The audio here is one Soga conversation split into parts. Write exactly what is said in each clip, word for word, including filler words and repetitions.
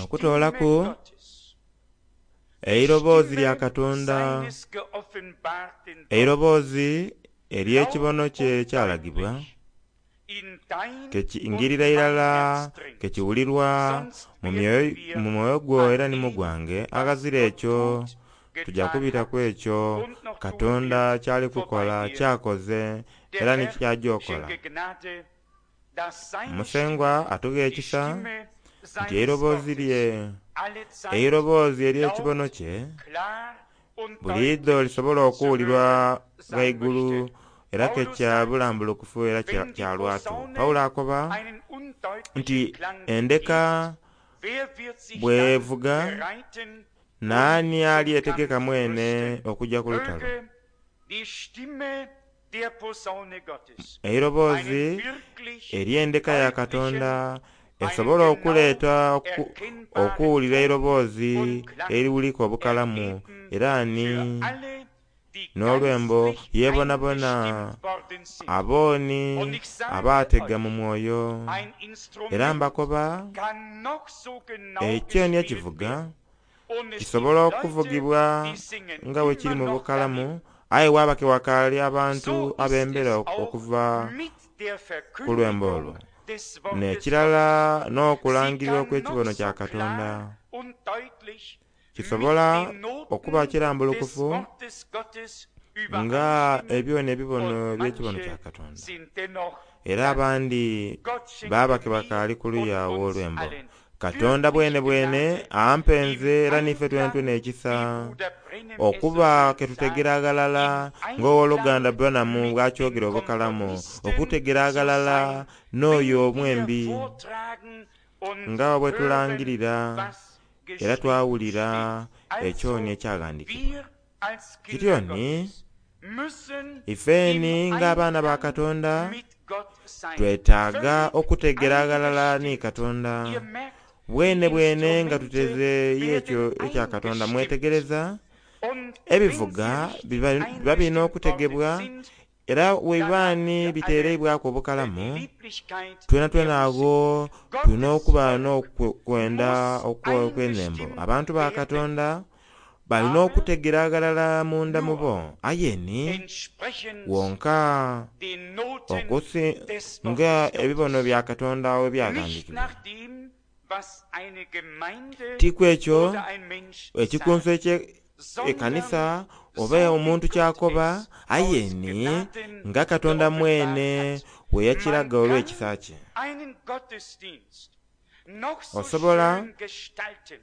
Okutoolaku eiroboozi lya Katonda, eiroboozi ery'ekibono kye ekyalagibwa, kekingirira irala kekiwulirwa mu mwoyo gwo era ni mu gwange. Aghazira ekyo tuja kubita ku ekyo Katonda kyali kukola, kyakoze era ni kyaja okola. Musengwa atughe ekisa nti eiroboozi lye, eiroboozi ery'ekibono kye buliidho lisobola okuwulirwa ghaigulu era ke kya bulambulukufu era kya lwatu. Pawulo akoba nti endeka bw'evuga naani alyetegeka mwene okujja ku lutalo. Eiroboozi ery'endeka ya Katonda esobola okuleeta okuwulira eiroboozi eriwulika obukalamu era ni n'olwembo yebonabona abooni abaatega mu mwoyo. Era mbakoba ekyo ni ekivuga kisobola okuvugibwa nga bwe kiri mu bukalamu, aye waaba ke wakaali abantu ab'embera okuva ku lwembo olwo. N'ekirala n'okulangirirwa okw'ekibono kya Katonda kisobola okuba kirambulukufu nga ebyona ebibono eby'ekibono kya Katonda. Era abandi baaba ke bakaali ku luya ow'olwembo. Katonda bwene bwene ampenze era niife twentwene ekisa okuba ke tutegera aghalala ng'owoluganda Branham bw'akyogera obukalamu, okutegera aghalala n'oyo omwembi nga bwe tulangirira era twawulira ekyoni ekyaghandikibwa. Kityo ni ifeeni ng'abaana ba Katonda twetaaga okutegera aghalala ni Katonda bwene bwene nga tutezeeyo ekyo ekya Katonda. Mwetegereza ebivuga biba birina okutegebwa era webibaani biteereibwaku obukalamu, twena twena agho tulina okuba n'okwenda okw'enhembo. Abantu ba Katonda balina okutegera aghalala munda mu bo, aye ni wonka okusi nga ebibono bya Katonda we byaghandikibwa. Ti ku ekyo ekikunso eky'ekanisa oba omuntu kyakoba, aye ni nga Katonda mwene we yakiraga olw'ekisa kye. Osobola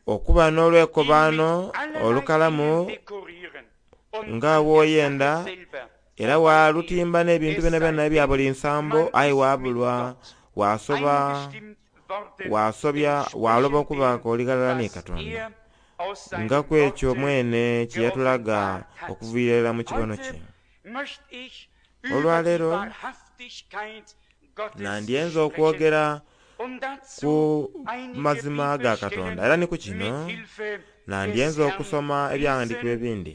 okuba n'olwekobaano olukalamu nga bw'oyenda era walutimba n'ebintu byonabyona ebya buli nsambo, aye wabulwa wasoba wasobya waloba okuba oli ghalala ni Katonda nga ku ekyo mwene kye yatulaga okuviira irala mu kibono kye. Olwaleero nandyenze okwogera ku mazima ga Katonda era ni ku kino nandyenze okusoma ebyawandiikibwa ebindi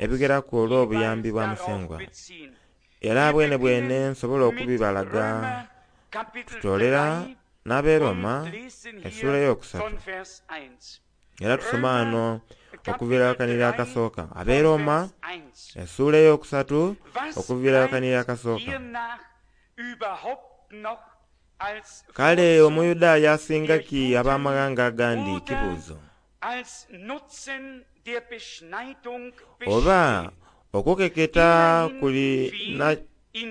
ebigeraku olw'obuyambi bwa Musengwa, era bwene bwene nsobola okubibalaga. Tutoolera n'ab'e Roma essuula eyokusatu era tusoma ghano okuviira ghakanhirira akasooka. Ab'e Roma essuula eyokusatu okuviira ghakanhirira akasooka. Kale Omuyudaaya asinga ki ab'amaghanga agandi? Kibuuzo. Oba okukeketa kuli na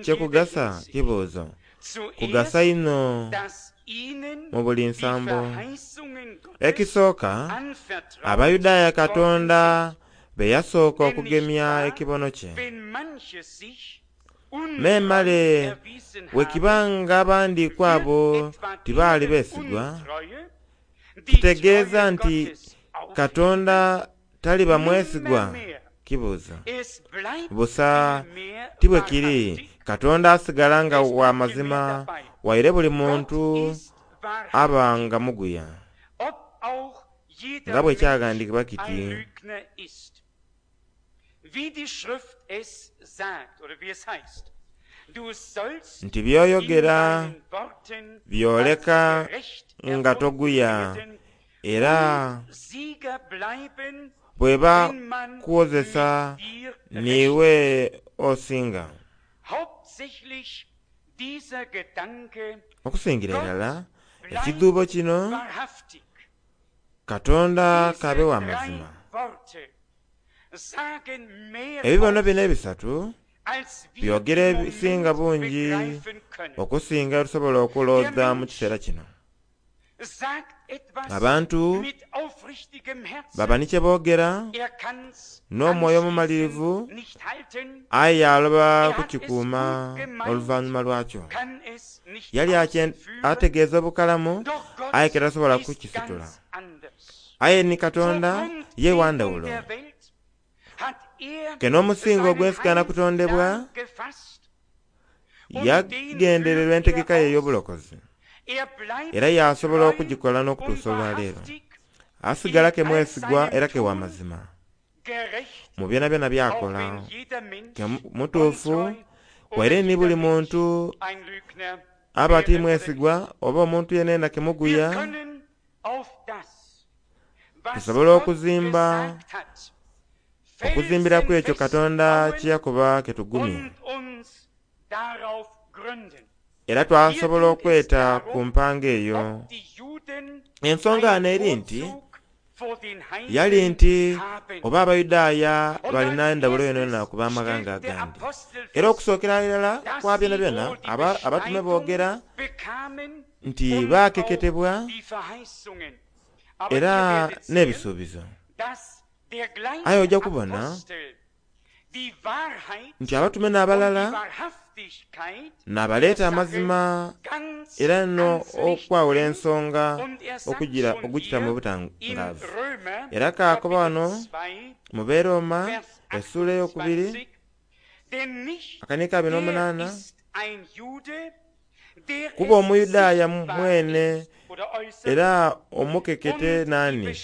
kyekugasa? Kibuuzo. Kugasa inho mu buli nsambo. Ekisooka, Abayudaaya Katonda be yasooka okugemya ekibono kye. Memale bwekibanga abandi ku abo tibaali beesigwa, kitegeeza nti Katonda taliba mwesigwa? Kibuuzo. Busa ti bwe kiri. Katonda asigala nga wa mazima waire buli muntu aba nga muguya. Nga bwe kyaghandikibwa kiti, Nti by'oyogera byoleka nga toguya, era bweba kuwozesa niiwe osinga. Okusingira irala ekidhuubo kino, Katonda k'abe wa mazima. Ebibono bino ebisatu byogera ebisinga bungi okusinga tusobola okulowooza mu kiseera kino. Abantu baba ni kye boogera n'omwoyo omumalirivu, aye aloba kukikuuma oluvannyuma lwakyo. Yali ategeeza obukalamu aye ke tasobola kukisitula. Aye ni Katonda ye wa ndhawulo. Ke n'omusingo ogw'ensi kutondebwa yagendererwa entegeka ye ey'obulokozi, era yasobola okugikola n'okutuusa olwaleero. Asigala ke mwesigwa era ke wa mazima mu byonabyona by'akola. Ke mutuufu waire ni buli muntu aba ti mwesigwa oba omuntu yenayena ke muguya, tusobola okuzimba okuzimbiraku ekyo Katonda kye yakoba ke tugumye, era twasobola okweta ku mpango eyo. Ensonga ghano eri nti yali nti oba Abayudaaya balina endhawulo yonayona ku b'amaghanga agandi. Era okusookera irala kwa byonabyona abatume boogera nti baakeketebwa era n'ebisuubizo. Aye ojja kubona nti abatume n'abalala n'abaleeta amazima era no okwawula ensonga okugira ogukita mu butangaavu. Era kaakoba wano mu Beroma essuula ey'okubiri akanika abiri n'omunaana, kuba Omuyudaaya mwene era omukekete naani,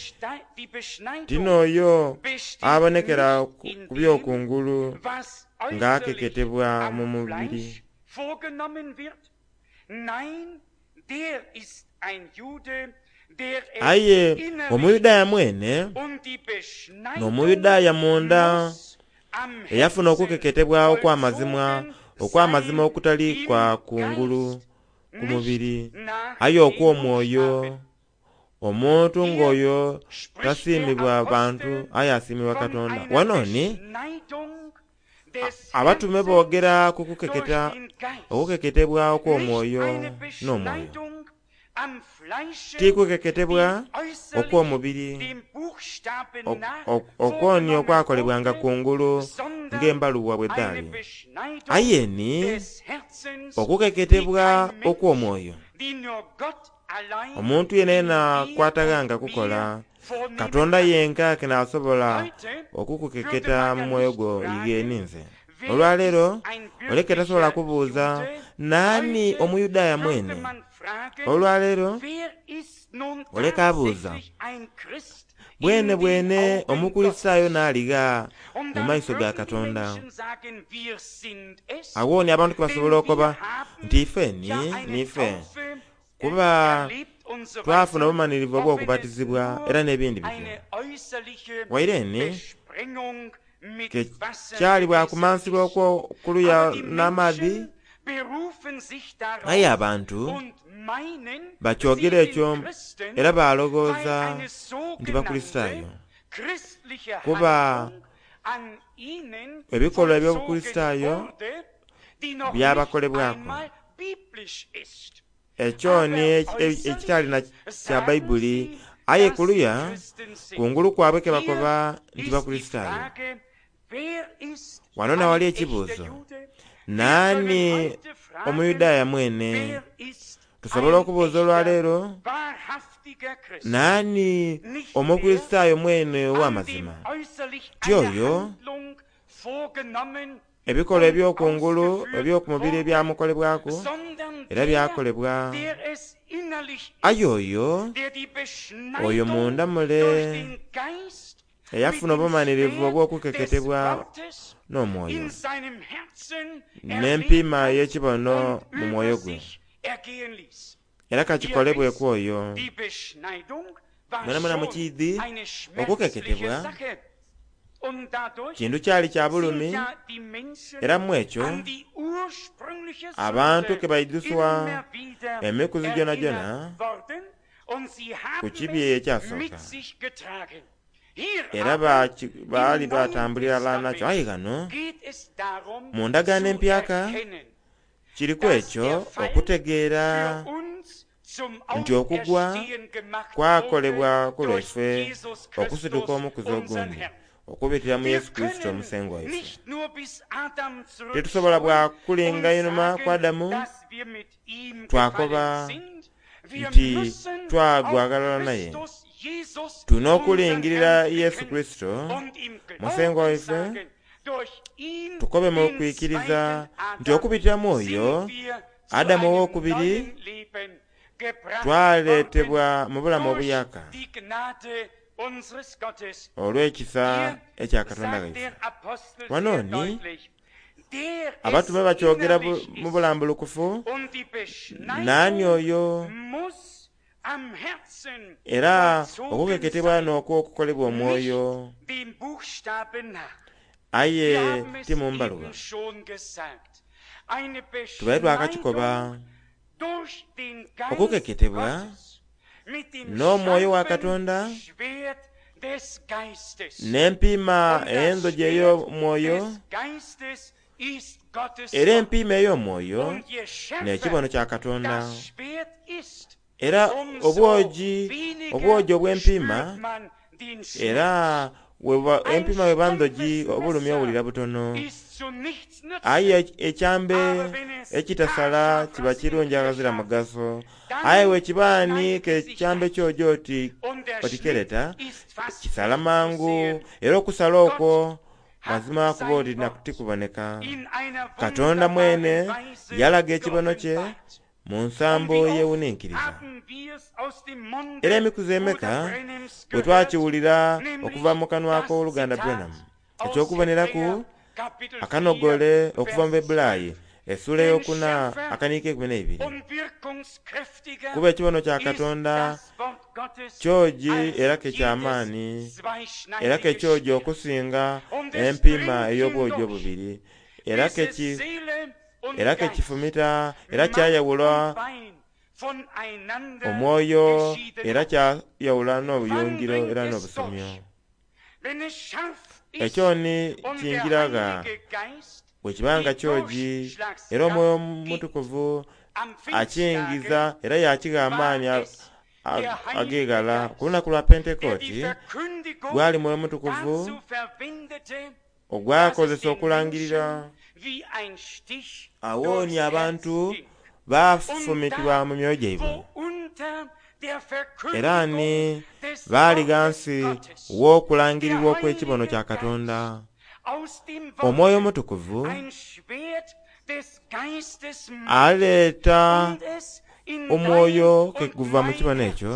ti n'oyo abonekera ku by'okungulu ng'akeketebwa mu mubiri. Aye Omuyudaaya mwene n'Omuyudaaya munda eyafuna okukeketebwa okw'amazima, okw'amazima okutali kwa kungulu ku mubiri, aye okw'omwoyo. Omuntu ng'oyo tasiimibwa bantu aye asiimibwa Katonda. Wano ni abatume boogera ku kukeketa okukeketebwa okw'omwoyo n'omwoyo, ti kukeketebwa okw'omubiri okwoni okwakolebwanga kungulu ng'embaluwa bwe dhaali, aye ni okukeketebwa okw'omwoyo. Omuntu yenayena kwataghanga kukola, Katonda yenka ke n'asobola okukukeketa mu mwoyo gwo ighe ninze. Olwaleero oleke tasobola kubuuza naani Omuyudaaya mwene. Olwaleero oleka abuuza bwene bwene Omukulisitaayo n'aligha mu maiso ga Katonda. Awo ni abantu ke basobola okuba nti ife ni niife, kuba twafuna obumanhirivu obw'okubatizibwa era n'ebindi bityo. Waire ni ke kyali bwakumansibwa okw'okuluya n'amaadhi, aye abantu bakyogera ekyo era balowooza nti Bakulisitaayo, kuba ebikolwa eby'Obukulisitaayo byabakolebwaku. Ekyo ni ekitali na kya Baibuli, aye kuluya kungulu kwabwe ke bakoba nti Bakulisitaayo. Wano nawali ekibuuzo, naani Omuyudaaya mwene? Tusobola okubuuza olwaleero, naani Omukulisitaayo mwene ow'amazima? Ti oyo ebikolwa eby'okungulu eby'okumubiri ebyamukolebwaku era byakolebwa, aye oyo oyo munda mule Eyafuna obumanirivu obw'okukeketebwa n'omwoyo n'empiima ey'ekibono mu mwoyo gwe, era kakikolebweku oyo. Mwenamwena mukiidhi okukeketebwa kintu kyali kya bulumi, era mu ekyo abantu ke baidhuswa emikuzi gyonhagyonha ku kibi ekyasooka, era baali batambulira ghalala nakyo. Aye ghano mu ndagaano empyaka kiriku ekyo okutegeera nti okugwa kwakolebwa ku lwaife okusituka omukuzi ogundi okubitira mu Yesu Kurisito omusengwa waife. Titusobola bwa kulinga inhuma ku Adamu twakoba nti twagwa ghalala naye. Tulina okulingirira Yesu Kurisito musengwa waife, tukobe mu kwikiriza nti okubitira mu oyo Adamu ow'okubiri twaleetebwa mu bulamu obuyaka olw'ekisa ekya Katonda waife. Wano ni abatume bakyogera mu bulambulukufu, naani oyo, era okukeketebwa n'okwo okukolebwa omwoyo, aye ti mu mbaluwa. Tubaire twakakikoba okukeketebwa n'omwoyo wa Katonda n'empiima ey'endhogi ey'omwoyo, era empiima ey'omwoyo n'ekibono kya Katonda. Era obwogi obwogi obw'empiima, era empiima bweba ndhogi obulumi owulira butono, aye ekyambe ekitasala kiba kirungi aghazira mugaso. Aye bwekiba ni ke ekyambe kyogi oti otikereta kisala mangu, era okusala okwo mazima kuba oti tikuboneka. Katonda mwene yalaga ekibono kye mu nsambo yewuninkiriza. Era emikuzi emeka bwe twakiwulira okuva mu kanwa k'oluganda Branham, eky'okuboneraku akanogole okuva mu Bebulaayi essuula ey'okuna akaniiko ekumi n'eibiri, kuba ekibono kya Katonda kyogi era ke ky'amaani, era ke kyogi okusinga empiima ey'obwogi obubiri, era ke era ke kifumita, era kyayawula omwoyo, era kyayawula n'obuyungiro era n'obusomyo. Ekyo ni kingiraga bwe kibanga kyogi, era omwoyo omutukuvu akingiza era yakigha amaani ag'eghala. Ku lunaku lwa Pentekooti gwali mwoyo mutukuvu ogwakozesa okulangirira, awooni abantu bafumitibwa mu myoyo gyaibwe, era ni baali ghansi w'okulangirirwa okw'ekibono kya Katonda. Omwoyo omutukuvu aleeta omwoyo ke guva mu kibono ekyo,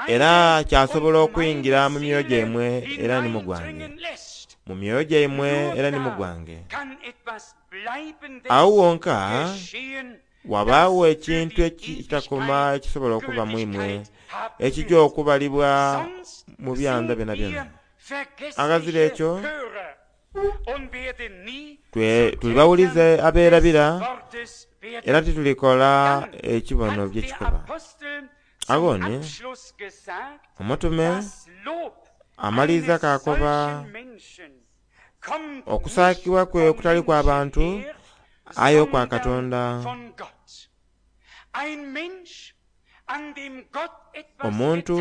era kyasobola okuyingira mu myoyo gyaimwe era ni mu gwange, mu myoyo gyaimwe era ni mu gwange. Awo wonka wabaawo ekintu ekitakoma ekisobola okuba mu imwe, ekijja okubalibwa mu byanda byonabyona. Aghazira ekyo tuli bawulize abeerabira, era titulikola ekibono byekikoba. Agho ni omutume amaliriza kakoba okusaakibwa kwe okutali kwa bantu aye okwa Katonda. Omuntu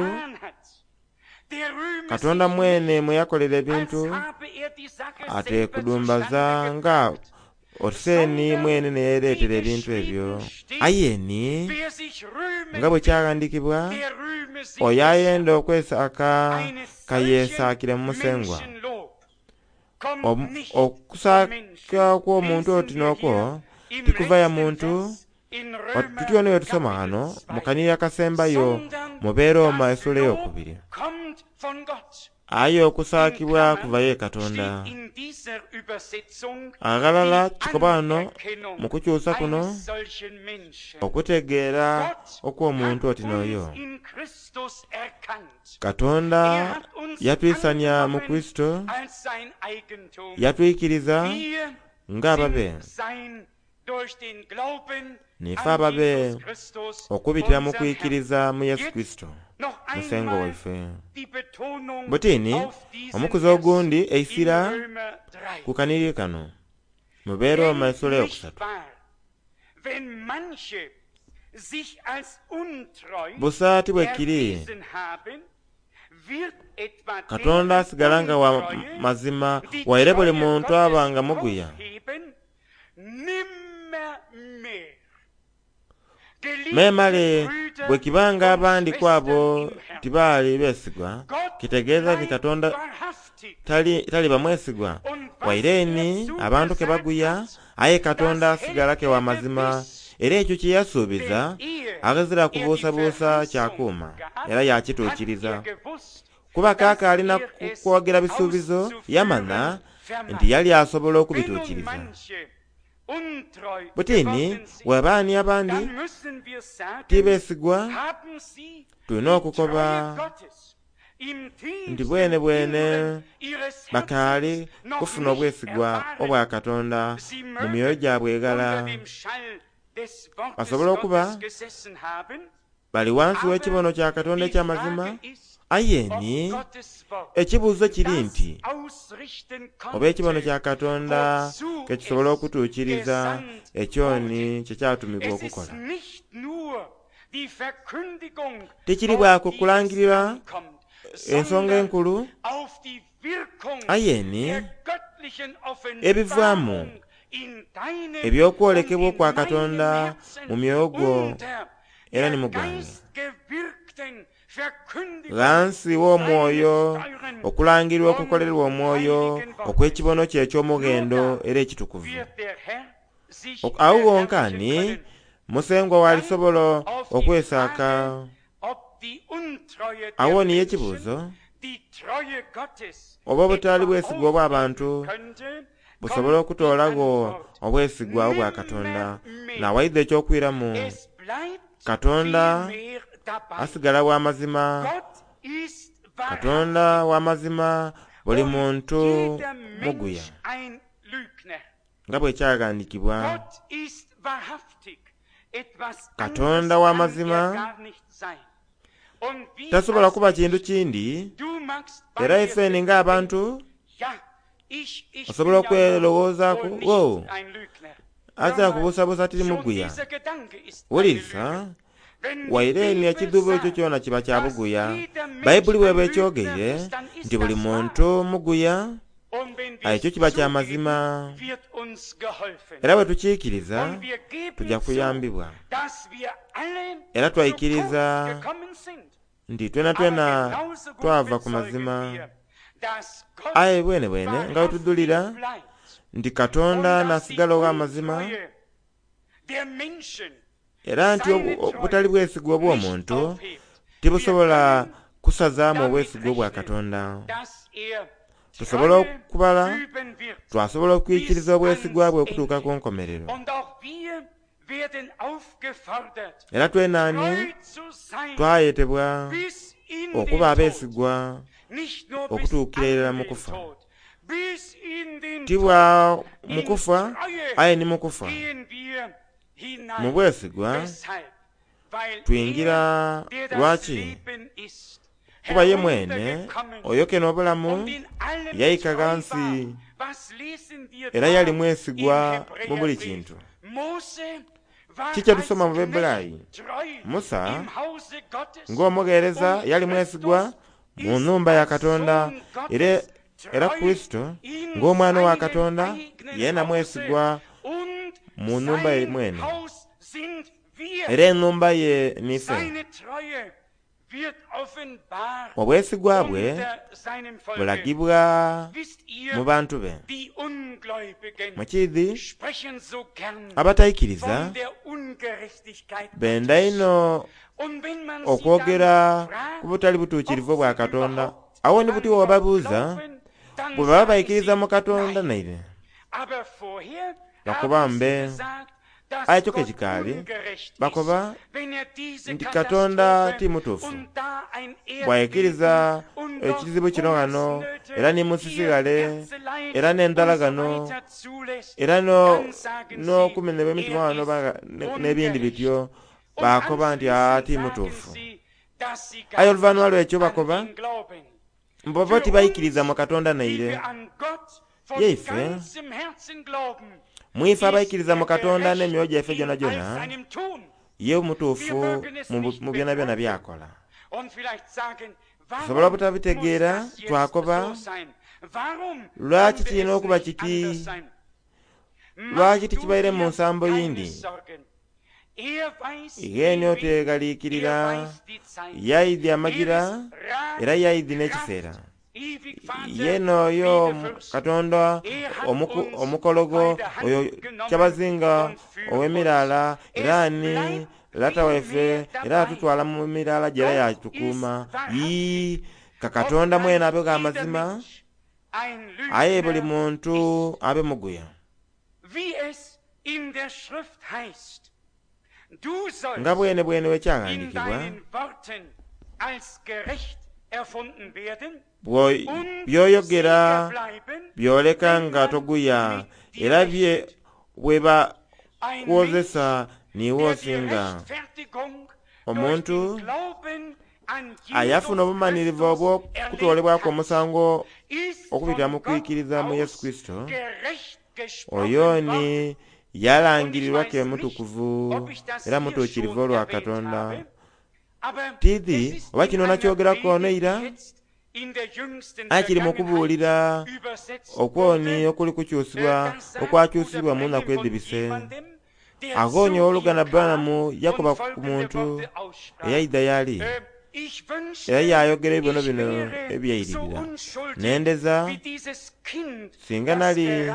Katonda mwene mwe yakolera ebintu ate kudumbaza nga otuseeni mwene neyereetera ebintu ebyo. Aye ni nga bwe kyaghandikibwa, oyo ayenda okwesaaka kayesaakire mu musengwa. Okusaaka kw'omuntu oti n'okwo tikuva ya muntu. Tutyo niyo tusoma ghano mu kaniri akasembayo mu Beeroma essuula ey'okubiri. Aye okusaakibwa In kuva ye Klammern Katonda. steht in dieser Übersetzung Aghalala die kikoba wano Anerkennung mu kukyusa kuno eines solchen Menschen. okutegeera Gott okw'omuntu hat oti n'oyo. uns in Christus erkannt. Katonda Er hat uns yatwisanya mu angenommen Kristo, als sein Eigentum. yatwikiriza Wir ng'ababe. sind sein durch den Glauben Nife an ababe Jesus Christus, okubitira mu unseren Herrn. kwikiriza mu Yesu Jetzt Kristo noch musengo einmal waife. die Betonung Butini auf diesen omukuzi Vers ogundi in eisira Römer drei. ku kaniri kano mu Beeroma Denn essula nicht eyokusatu. wahr, wenn manche sich als untreu Busaati bwe kiri erwiesen haben, wird etwa Katonda deren asigala nga wa Untreue, mazima die waire buli Treue muntu Gottes aba nga muguya. aufheben, nimmermehr. Geliebte Memale Brüder bwe kibanga und abandi ku abo Schwestern im Herrn, tibaali beesigwa Gott kitegeeza nti bleibt Katonda wahrhaftig tali taliba mwesigwa. und was Waire er eni abantu ke zugesagt baguya hat, aye Katonda das asigala hält ke wa er mazima gewiss. era ekyo kye yasuubiza Denn ehe aghazira er die kubuusabuusa Verheißung kyakuuma gab, era hat yakituukiriza. er gewusst, Kuba dass kaaka alina er es kwogera bisuubizo yamanya auszuführen nti vermag. yali asobola Wenn nun okubituukiriza. manche untreu Butini geworden sind, bw'abaani abandi dann müssen wir sagen, tibeesigwa haben sie tulina die okukoba Treue Gottes im nti tiefsten bwene bwene Inneren ihres bakaali Herzens noch kufuna nicht obwesigwa erfahren. obwa Katonda Sie mu myoyo mögen gyabwe egala. unter dem Schall des Wortes Basobole okuba Gottes gesessen haben, bali wansi aber w'ekibono kya Katonda die eky'amazima Frage ist, aye ob ni Gottes Wort ekibuuzo kiri das nti ausrichten oba ekibono konnte, kya Katonda wozu ke kisobola es okutuukiriza gesandt ekyoni wurde. kye kyatumibwa Es ist okukola. nicht nur die Verkündigung, Tekiri auf bwa ku die es kulangirira ankommt, ensonga sondern enkulu auf die Wirkung aye ni der göttlichen ebivaamu Offenbarung in deinem und eby'okwolekebwa in okwa meinem Katonda mu Herzen myoyo gwo unter era der ni mu gwange. geistgewirkten Verkündigung Ghansi w'omwoyo seines teuren okulangirirwa und okukolerwa omwoyo heiligen Wortes. okw'ekibono kye Nur eky'omughendo da era ekitukuvu. wird der Herr sich Ok- Awo wonka verherrlichen ni können. musengwa Dann walisobola auf die okwesaaka. Frage, ob die Untreue Awo der niyo Menschen ekibuuzo die Treue Gottes oba obutaali etwa bwesigwa obw'abantu aufheben könnte, busobola kommt die okutoolagho Antwort obwesigwa obwa Katonda. nimmermehr. Nawaidha ekyokwiramu Es bleibt Katonda vielmehr dabei. asigala wa mazima, Gott ist Katonda wahrhaftig wa mazima buli und muntu jeder muguya Mensch ein Lügner. nga bwe kyagandikibwa. Gott ist wahrhaftig. Etwas Katonda anderes wa kann er mazima gar nicht sein. Und wie tasobola als kuba kintu Mensch, kindi du magst bei era dir ifeni selbst ng'abantu denken, ja, ich, ich osobola bin ja wohl okwerowoozaku wohl wo nicht ein Lügner. Hör azira mal, kubuusabuusa tiri schon muguya. dieser Gedanke ist eine Wuliriza Lüge. Wenn die waire ni Bibel ekidhuubo ekyo sagt, kyona kiba kya dass buguya. jeder Mensch Bayibuli ein bw'eba Lügner ekyogeire ist, dann ist nti buli das wahr. muntu muguya Und wenn wir ekyo es kiba kya zugeben, mazima wird uns geholfen. era bwe tukiikiriza Und wir geben tujja zu, kuyambibwa dass wir alle era zu kurz twaikiriza gekommen sind. nti twena Aber twena genauso gut twava ku bezeugen mazima wir, dass Gott aye bwene bwene nga bwe wahrhaftig tudulira bleibt nti und Katonda dass die n'asigala ow'amazima Untreue der Menschen era nti seine obu- obutali Treue bwesigwa nicht obw'omuntu aufhebt. Wir tibusobola können kusazaamu damit obwesigwa obwa rechnen, Katonda. dass er Tusobola Treue okubala üben wird twasobola bis okwikiriza obwesigwa ans bwe okutuuka Ende. ku nkomerero. Und auch wir werden aufgefordert, Era twenaani treu zu sein twayetebwa bis in okuba den Tod. abeesigwa Nicht nur bis okutuukira irala an mu den kufa. Tod, bis in den Tod. Tibwa mu In kufa Treue aye ni mu kufa. gehen wir Mu hinein. bwesigwa Weshalb? Weil er, twingira der das lwaki Leben ist, kuba ye mwene heruntergekommen oyo keno obulamu und in allem yayika treu ghansi war. Was lesen wir era yali da im mwesigwa mu buli Hebräerbrief? kintu. Mose war Kiki tusoma als mu Bebbulaayi? Knecht treu Musa im Hause Gottes ng'omugheereza und yali mwesigwa Christus mu ist nnumba ya als Katonda Sohn era Gottes era treu Kristo in ng'omwana wa seinem Katonda eigenen yeena Hause mwesigwa und mu nnumba ye sein mwene Haus sind wir. era ennumba ye nife. Seine Treue wird offenbar Obwesigwa bwe unter seinem Volke. bulagibwa Wisst mu ihr, bantu be. die Ungläubigen Mukiidhi sprechen so gern abatayikiriza von der Ungerechtigkeit benda Gottes. ino Und wenn man sie okwogera dann ku fragt, butali butuukirivu ob bwa sie Katonda überhaupt Awo ni buti bw'obabuuza bwe baba baikiriza mu Katonda naire bakoba mbe, aye kyo kekikaali bakoba nti Katonda ti mutuufu bw'aikiriza ekizibu kino ghano era ni musisi ghale era n'endhala ghano era n'okumenebwa emitima ghano n'ebindi bityo, bakoba nti aa ti mutuufu. Aye oluvannyuma lw'ekyo bakoba mbu tibaikiriza mu Katonda naire. Yeife mwife abaikiriza mu Katonda n'emyoyo gyaife gyonhagyonha, ye mutuufu mu byonabyona by'akola. Tusobola obutabitegeera twakoba lwaki kirina okuba kiti, lwaki tikibaire mu nsambo yindi. Igheeni oteghaliikirira, yaidhi amagira era yaidhi n'ekiseera. Ye n'oyo Katonda omukologo oyo kyabazinga ow'emiraala era ni lata waife era atutwala mu miraala gye era yatukuuma. Yii, ka Katonda mwene abe gha mazima, aye buli muntu abe muguya. Nga bwene bwene bwe kyaghandiikibwa, by'oyogera byoleka nga toguya era bye bweba kwozesa niiwe osinga. Omuntu ayafuna obumanirivu obw'okutoolebwaku omusango okubitira mu kwikiriza mu Yesu Kristo, oyo ni yalangirirwa ke mutukuvu era mutuukirivu olwa Katonda. Tidhi oba kino nakyogeraku ono eira, aye kiri mu kubuulira okwoni okuli kukyusibwa okwakyusibwa mu nnaku edhibise. Aghonye owooluganda Branham yakoba ku muntu eyaidha y'ali era yayogera ebibono bino ebyairirira. Nendeza singa nali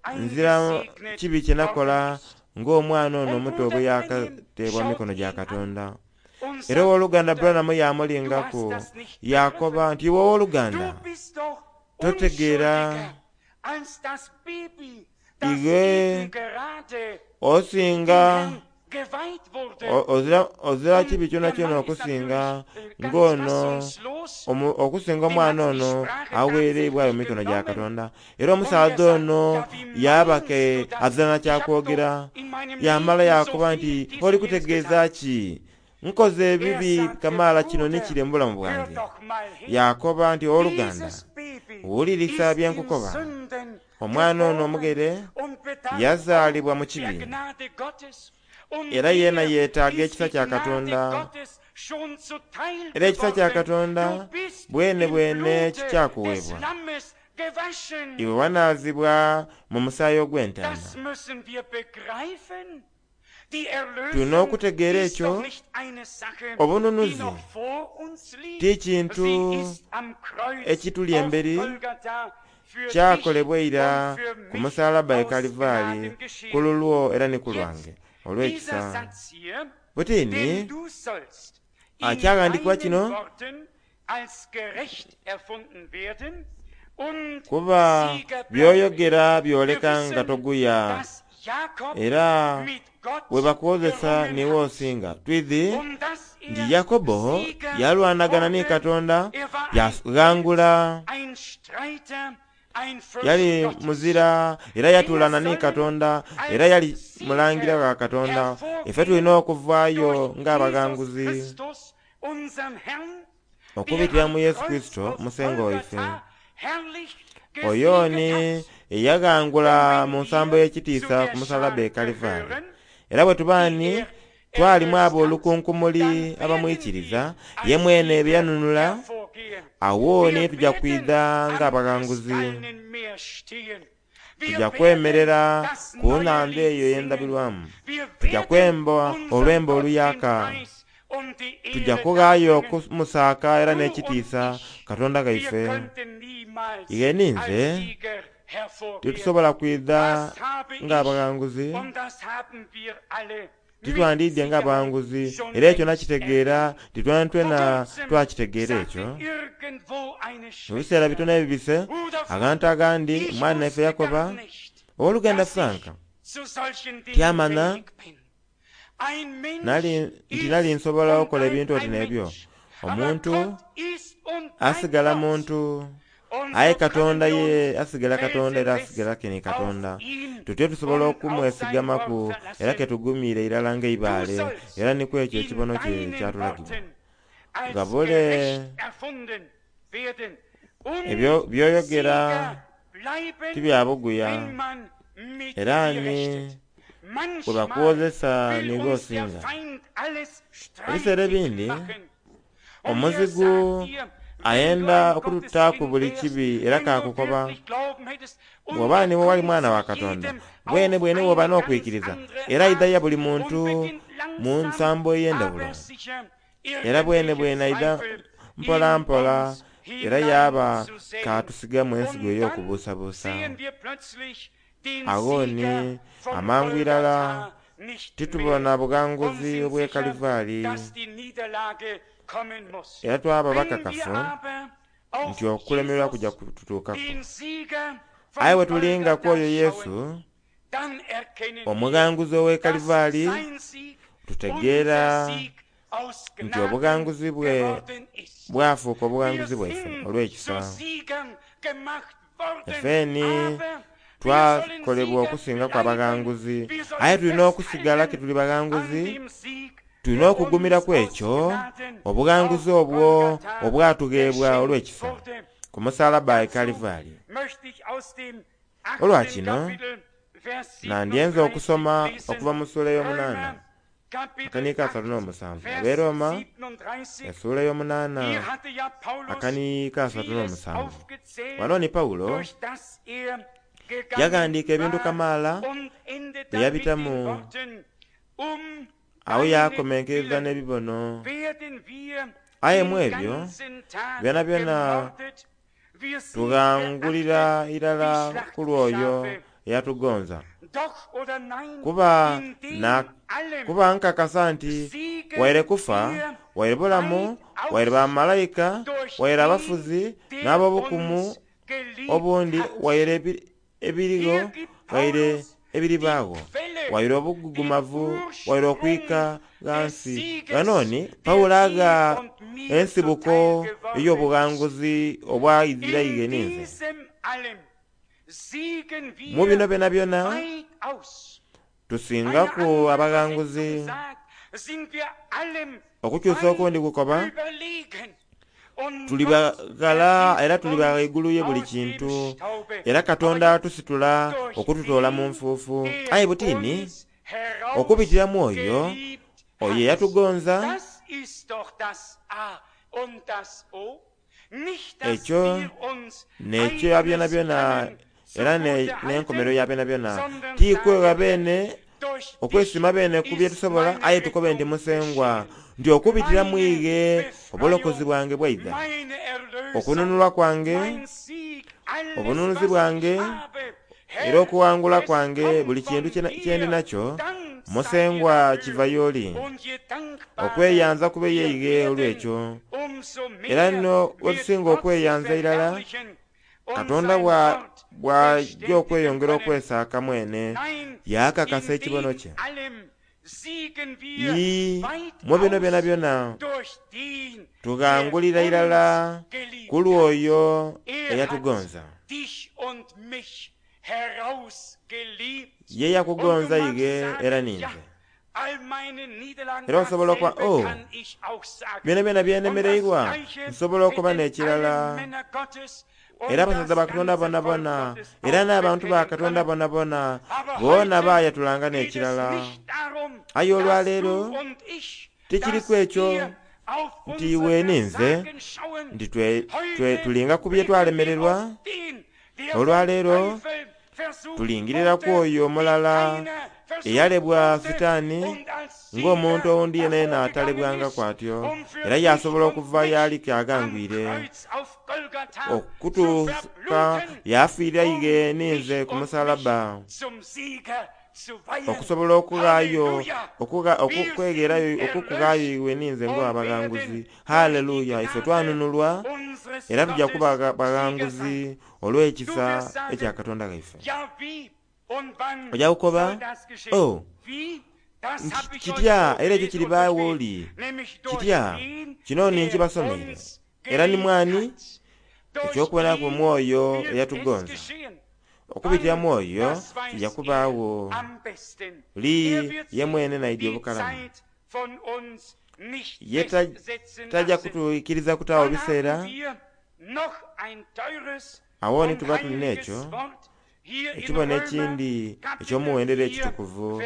nzira kibi kye nakola ng'omwana ono omuto bwe yakateebwa mu mikono gya Katonda. Era owooluganda Branham yamulingaku yakoba nti iwe owooluganda totegeera iwe osinga ozira, ozira kibi kyonakyona okusinga ng'ono okusinga omwana ono aweereibwayo mu mikono gya Katonda. Era omusaadha ono yabake azira na kyakwogera, yamala yakoba nti oli kutegeeza ki? Nkoze ebibi kamaala kino ni kiri mu bulamu bwange. Yakoba nti owooluganda wulirisa bye nkukoba. Omwana ono omugere yazaalibwa mu kibi era yeena yeetaaga ekisa kya Katonda. Era ekisa kya Katonda bwene bwene kikyakuweebwa. Iwe wanaazibwa mu musaayi ogw'entaama. Tulina okutegeera ekyo. Obununuzi ti kintu ekituli emberi, kyakolebwa ira ku musalaba e Kalivaali ku lulwo era ni ku lwange olw'ekisa. Butini akyaghandiikibwa kino kuba by'oyogera byoleka nga toguya era bwe bakwozesa niiwe osinga. Twidhi nti Yakobo yalwanagana ni Katonda yaghangula, yali muzira era yatulana ni Katonda era yali mulangira wa Katonda. Ife tulina okuvaayo ng'abaghanguzi okubitira mu Yesu Kristo Musengo waife. Oyo ni eyaghangula mu nsambo y'ekitiisa ku musalaba e Kalivaali. Era bwe tuba ni twalimu abo olukunkumuli abamwikiriza, ye mwene bye yanunula, awo ni tujja kwidha ng'abaghanguzi. Tujja kwemerera ku nnhandha eyo ey'endabirwamu, tujja kwemba olwembo oluyaka, tujja kughaayo okumusaaka era n'ekitiisa Katonda ghaife. Ighe ninze titusobola kwidha ng'abaghanguzi. Titwandiidye ng'abawanguzi era ekyo nakitegeera titwentwena twakitegeera ekyo. Mu biseera bitono ebibise agantu agandi omwana naife yakoba owooluganda Frank tyamana nali nti nali nsobola okukola ebintu oti n'ebyo. Omuntu asigala muntu aye Katonda ye asigala Katonda era asigala kini Katonda. Tutyo tusobola okumwesigamaku era ketugumiire irala ng'eibaale era nikwo ekyo ekibono kye kyatulagibwa. Gabule ebyo byoyogera tibyabuguya era ni bwe bakwozesa niiwe osinga. Ebiseera ebindi omuzigu ayenda okututaaku buli kibi era kakukoba bw'oba niwe wali mwana wa Katonda bwene bwene bw'oba n'okwikiriza era aidha buli muntu mu nsambo ey'endawulo era bwene bwene aidha mpola mpola era yaba katusigamu ensigo ey'okubuusabuusa. Awo ni amangu irala titubona bughanguzi obw'e Kalivaali era twaba bakakafu nti okulemererwa kujja kututuukaku. Aye bwe tulinga ku oyo Yesu omughanguzi ow'e Kalivaali tutegeera nti obughanguzi bwe bwafuuka obughanguzi bwaife olw'ekisa. Effeeni twakolebwa okusingaku abaghanguzi aye tulina okusigala ke tuli baghanguzi tulina okugumiraku ekyo obughanguzi obwo obwatugheebwa olw'ekisa ku musalaba e Kalivaali. Olwa kino nandyenze okusoma okuva mu ssuula ey'omunaana akaniika asatu n'omusanvu ab'e Roma essuula ey'omunaana akaniika asatu n'omusanvu. Wano ni Pawulo yaghandiika ebintu kamaala bye yabitamu awo yakomenkereza n'ebibono. Aye mu ebyo byona byona tughangulira irala ku lw'oyo eyatugonza. Kuba na kuba nkakasa nti waire kufa waire bulamu waire bamalayika waire abafuzi n'ab'obukumu obundi waire ebirigho waire ebiribaagho waire obugugumavu waire okwika ghansi. Ghanoni Pawulo agha ensibuko ey'obughanguzi obwa Isiraeli ninze. Mu bino byona byona tusingaku abaghanguzi. Okukyusa okundi kukoba tuli baghala era tuli baghaigulu ye buli kintu era Katonda atusitula okututoola mu nfuufu. Aye butini okubitira mu oyo oyo eyatugonza ekyo n'ekyo ya byona byona era n'enkomerero ya byona byona. Tikwegha beene okwesiima beene ku bye tusobola aye tukobe nti Musengwa nti okubitira mu ighe obulokozi bwange bwaidha, okununulwa kwange, obununuzi bwange era okuwangula kwange buli kintu kyendi nakyo Musengwa kiva y'oli. Okweyanza kube yeighe olw'ekyo era nno wetusinga okweyanza irala Katonda bw'ajja okweyongera okwesaaka mwene yaakakasa ekibono kye. Ii mu bino byona byona tughangulira irala ku lw'oyo eyatugonza. Ye yakugonza ighe era ninze. Era osobola okuba oh byona byona byenemereirwa nsobola okuba n'ekirala era abasaza ba Katonda bona bona era n'abantu ba Katonda bona bona boona baayatulanga n'ekirala. Aye olwaleero tikiriku ekyo nti iwe ninze nti tulinga ku bye twalemererwa. Olwaleero tulingiriraku oyo omulala eyalebwa Sitaani ng'omuntu owundi yenayena atalebwangaku atyo era yasobola okuva y'alike aghangwire okutuuka yafiira ighe ninze ku musalaba Okusobola okughaayo okwegherayo okukughaayo iwe ninze ng'abaghanguzi. Haleluya! Ife twanunulwa era tujja kuba baghanguzi olw'ekisa ekya Katonda ghaife. Ojja kukoba, oh, kitya era ekyo kiribaawo oli kitya kino ni nkibasomeire era ni mwani ekyokubonaku omwoyo eyatugonza okubitira mwoyo kijja kubaawo li ye mwene naidi obukalamu ye tajja kutuikiriza kutaawo biseera. Awo ni tuba tulina ekyo ekibono ekindi ekyomuwendero ekitukuvu.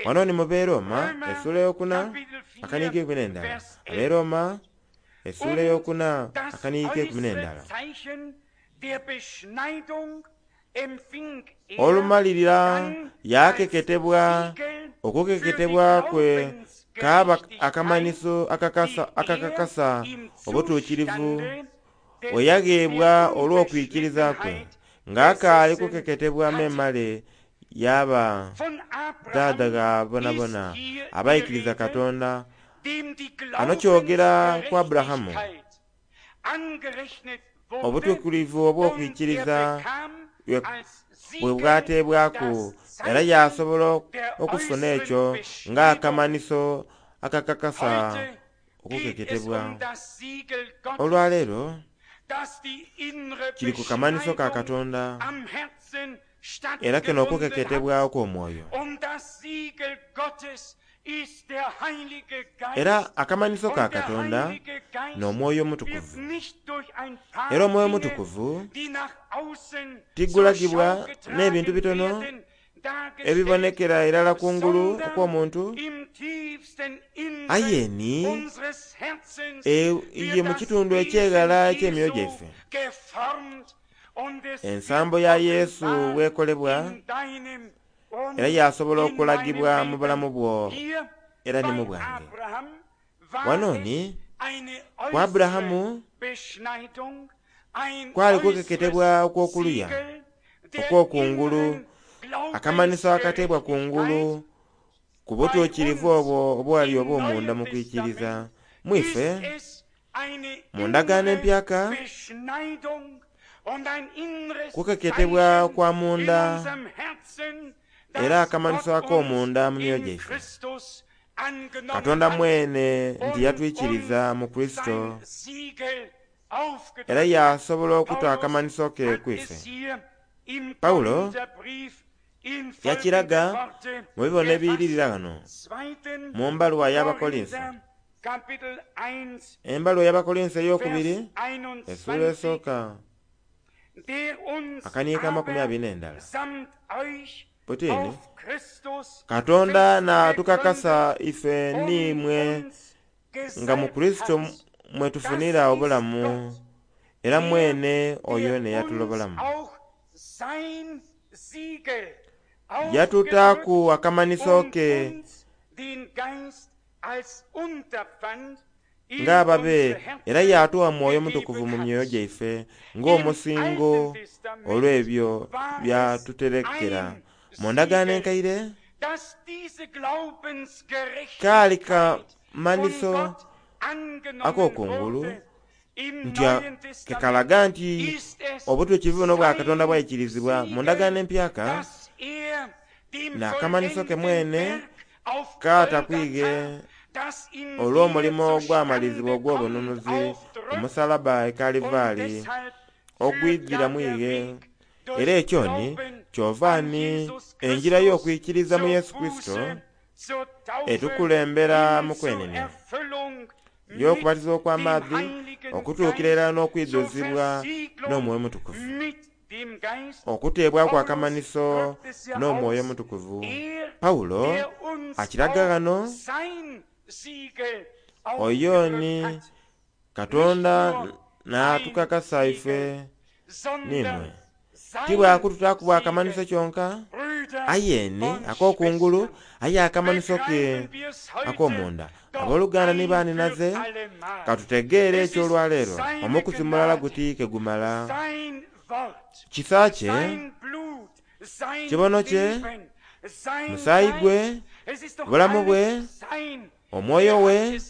Wano ni mu Beeroma essuula eyokuna akaniiko ekumi n'endala. Abeeroma essuula eyokuna akaniiko ekumi n'endala. Olumalirira yakeketebwa okukeketebwa kwe kaaba akamanhiso akakakasa obutuukirivu bwe yagheebwa olw'okwikiriza kwe ng'akaali kukeketebwa memale yaba dhaadha gha bonabona abaikiriza Katonda. Ano kyogera ku Aburahamu obutuukirivu obw'okwikiriza bwe bwateebwaku era yasobola okufuna ekyo ng'akamanhiso akakakasa okukeketebwa. Olwaleero kiri ku kamanhiso ka Katonda era kino okukeketebwa okw'omwoyo. Era akamanhiso ka Katonda n'Omwoyo Omutukuvu. Era Omwoyo Omutukuvu tigulagibwa n'ebintu bitono ebibonekera irala kungulu okw'omuntu, aye ni ye mu kitundu ekyeghala eky'emyoyo gyaife. Ensambo ya Yesu bwekolebwa era yasobola okulagibwa mu bulamu bwo era ni mu bwange. Wano ni ku Aburahamu kwali kukeketebwa okw'okuluya okw'okungulu, akamanhiso akateebwa kungulu ku butuukirivu obwo obwali obw'omunda mu kwikiriza. Mwife mu ndagaano empyaka kukeketebwa kwa munda era akamanhiso ak'omunda mu myoyo gyaife. Katonda mwene nti yatwikiriza mu Kristo era yasobola okuta akamanhiso ke kwife. Pawulo yakiraga mu bibono ebiyiririra ghano mu mbaluwa y'Abakolinso. Embaluwa y'Abakolinso ey'okubiri essuula esooka akaniiko amakumi abiri n'endala. Butini Katonda n'atukakasa ife n'imwe nga mu Kristo mwetufunira obulamu era mwene oyo neyatulobolamu. Yatutaaku akamanhiso ke ng'ababe era yatuwa Mwoyo Mutukuvu mu myoyo gyaife ng'omusingo olw'ebyo byatuterekera. Mu ndagaano enkaire kaali kamanhiso ak'okungulu nti kekalaga nti obutuukirivu buno bwa Katonda bwaikirizibwa. Mu ndagaano empyaka n'akamanhiso ke mwene katakwige olw'omulimo ogwamalizibwa ogw'obununuzi ku musalaba e Kalivaali ogwidhira mwighe. Era ekyo ni kyova ni enjira y'okwikiriza mu Yesu Kristo etukulembera mu kwenenia y'okubatizibwa okw'amaadhi okutuukira irala n'okwidhuzibwa n'Omwoyo Omutukuvu, okuteebwaku akamanhiso n'Omwoyo Omutukuvu. Pawulo akiraga ghano oyo ni Katonda n'atukakasa ife n'imwe tibwakututaaku bwakamanhiso kyonka aye ni ak'okungulu aye akamanhiso ke ak'omunda. Abooluganda ni baaninaze katutegeere ekyo olwaleero omukuzi mulala guti ke gumala. Kisa kye, kibono kye, Musaayi gwe, bulamu bwe, omwoyo we,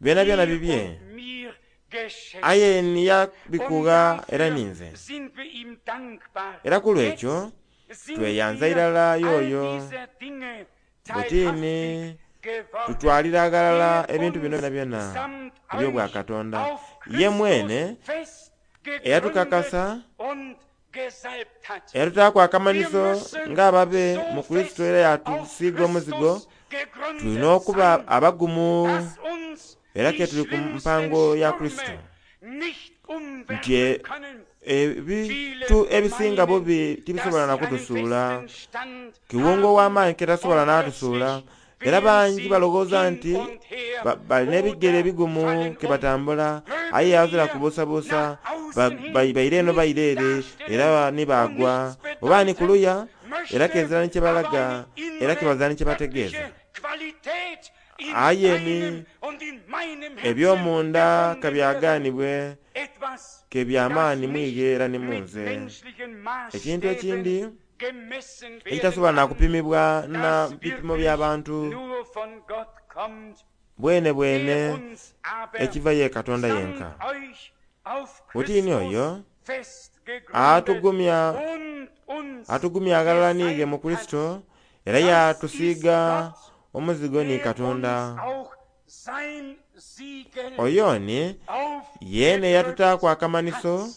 byona byona bibye, aye niyabikugha era ninze. Era ku lwekyo tweyanza irala yoyo butini tutwalira aghalala ebintu bino byona byona eby'obwakatonda. Ye mwene eyatukakasa, eyatutaaku akamanhiso ng'ababe mu Kurisito era yatusiiga omuzigo, tulina okuba abagumu era ke tuli ku mpango ya Kurisito, nti ebintu ebisinga bubi tibisobola na kutusuula. Kiwunga ow'amaanyi ke tasobola n'atusuula. Era bangi balowooza nti balina ebigere ebigumu ke batambula, aye azira kubuusabuusa, baire eno baire ere era ni baagwa, oba ni kuluya, era kezira ni kyebalaga, era kebazira ni kyebategeeza. Aye ni eby'omunda kabyagaanibwe ke by'amaani mwighe era ni munze. Ekintu ekindi ekitasobola na kupimibwa na bipimo by'abantu bwene bwene ekiva ye Katonda yenka. Butini oyo atugumya atugumya aghalala niighe mu Kurisito, era yatusiiga omuzigo ni Katonda. Oyo ni yeene yatutaaku akamanhiso.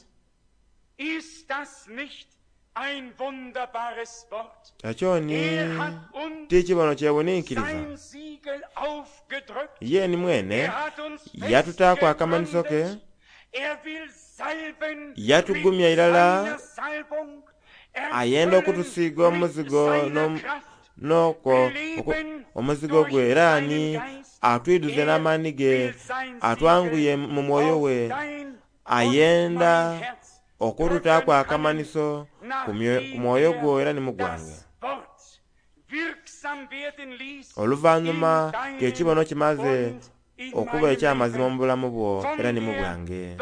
Ekyo ni ti kibono kyewuninkiriza. Ye ni mwene yatutaaku akamanhiso ke, yatugumya irala, ayenda okutusiiga omuzigo n'okwo omuzigo gwe, era ni atwiduze n'amaani ge, atwanguye mu mwoyo we, ayenda okututaaku akamanhiso ku mwoyo gwo era ni mu gwange. Oluvannyuma ng'ekibono kimaze okuba eky'amazima mu bulamu bwo era ni mu bwange.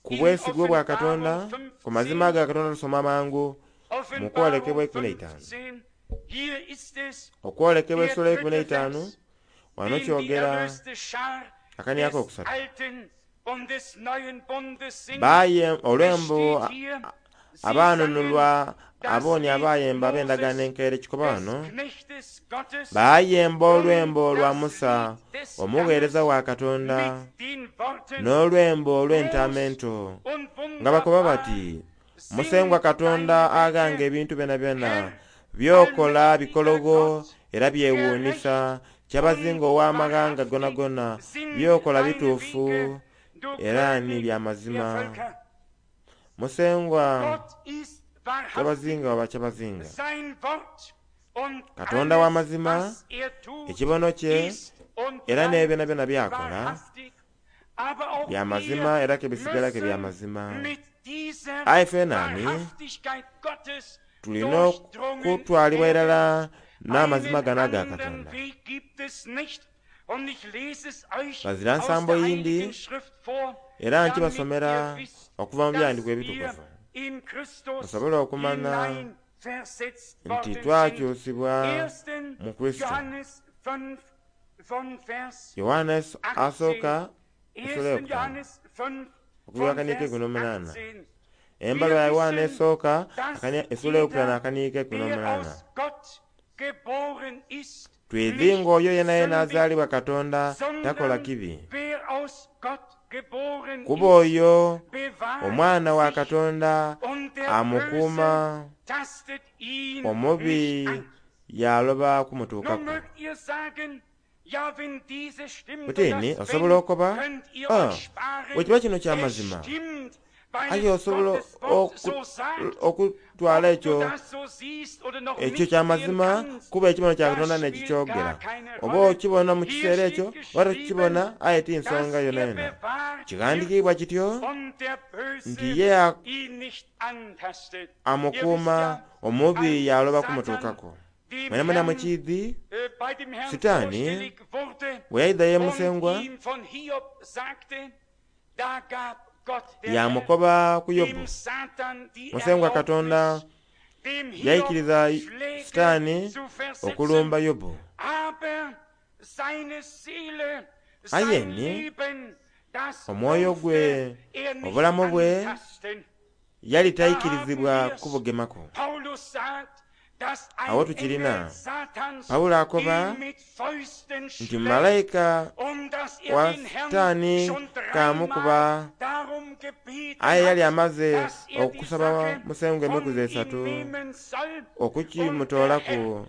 Ku bwesigwa bwa Katonda, ku mazima ga Katonda tusoma mangu mu kwolekebwa eikumi n'eitaanu. Okwolekebwa essula eikumi n'eitaanu wano kyogera akaniako okusatu. Baye olwembo abaanunulwa abooni abayemba ab'endagaano enkaire kikoba wano, bayemba olwembo lwa Musa omugheereza wa Katonda n'olwembo olw'entaama ento, nga bakoba bati, Musengwa Katonda aghanga ebintu byonabyona, by'okola bikologo era byewuunisa, kyabazinga ow'amaghanga gonagona, by'okola bituufu era ni bya mazima. Musengwa kyabazinga waba kyabazinga, Katonda w'amazima, ekibono kye era n'ebyonabyona by'akola bya mazima era ke bisigala ke bya mazima. Aye ffenani tulina okutwalibwa irala n'amazima gano aga Katonda. Ghazira nsambo yindi, era nkibasomera okuva mu byandikwa ebitukuvu, musobole okumanya nti twakyusibwa mu Kurisito. Yoanne asooka essula eyokutaanu okuva akaniiko eikumi n'omunaana. Embaluwa ya Yoanne esooka essula eyokutaanu akaniiko eikumi n'omunaana. Twidhi ng'oyo yenayena azaalibwa Katonda takola kibi, kuba oyo omwana wa Katonda amukuuma, omubi yaloba kumutuukaku. Butini osobola okukoba, ah, bwe kiba kino kya mazima, aye osobola okutwala ekyo ekyo kya mazima kuba ekibono kya Katonda n'ekikyogera. Oba okibona mu kiseera ekyo oba tokibona, aye ti nsonga yonayona. Kighandikiibwa kityo nti ye amukuuma, omubi yaloba kumutuukaku. Mwena mwena mukiidhi, Sitaani bwe yaidha ye Musengwa Yamukoba ku Yobu. Musengwa Katonda yaikiriza Sitaani okulumba Yobu, aye ni omwoyo gwe, obulamu bwe, yali taikirizibwa kubugemaku. Awo tukirina Pawulo akoba nti malayika wa Sitaani kamukuba, aye yali amaze okusaba Musengwa emikuzi esatu okukimutoolaku,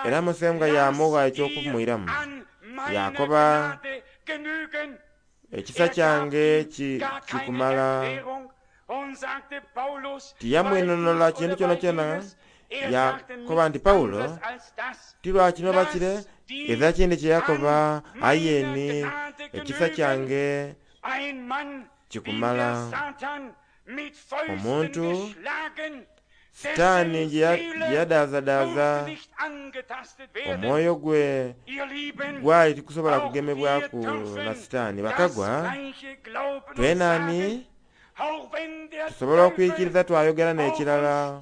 era Musengwa yamugha eky'okumwiramu. Yakoba, ekisa kyange kikumala. Tiyamwinonola kintu kyonakyona. Yakoba nti Pawulo tilwakino bakire eza kindi kye yakoba, aye ni ekisa kyange kikumala. Omuntu Sitaani gye yadaazadaaza omwoyo gwe gwali tikusobola kugemebwaku na Sitaani. Bakagwa twenani tusobola okwikiriza twayogera n'ekirala.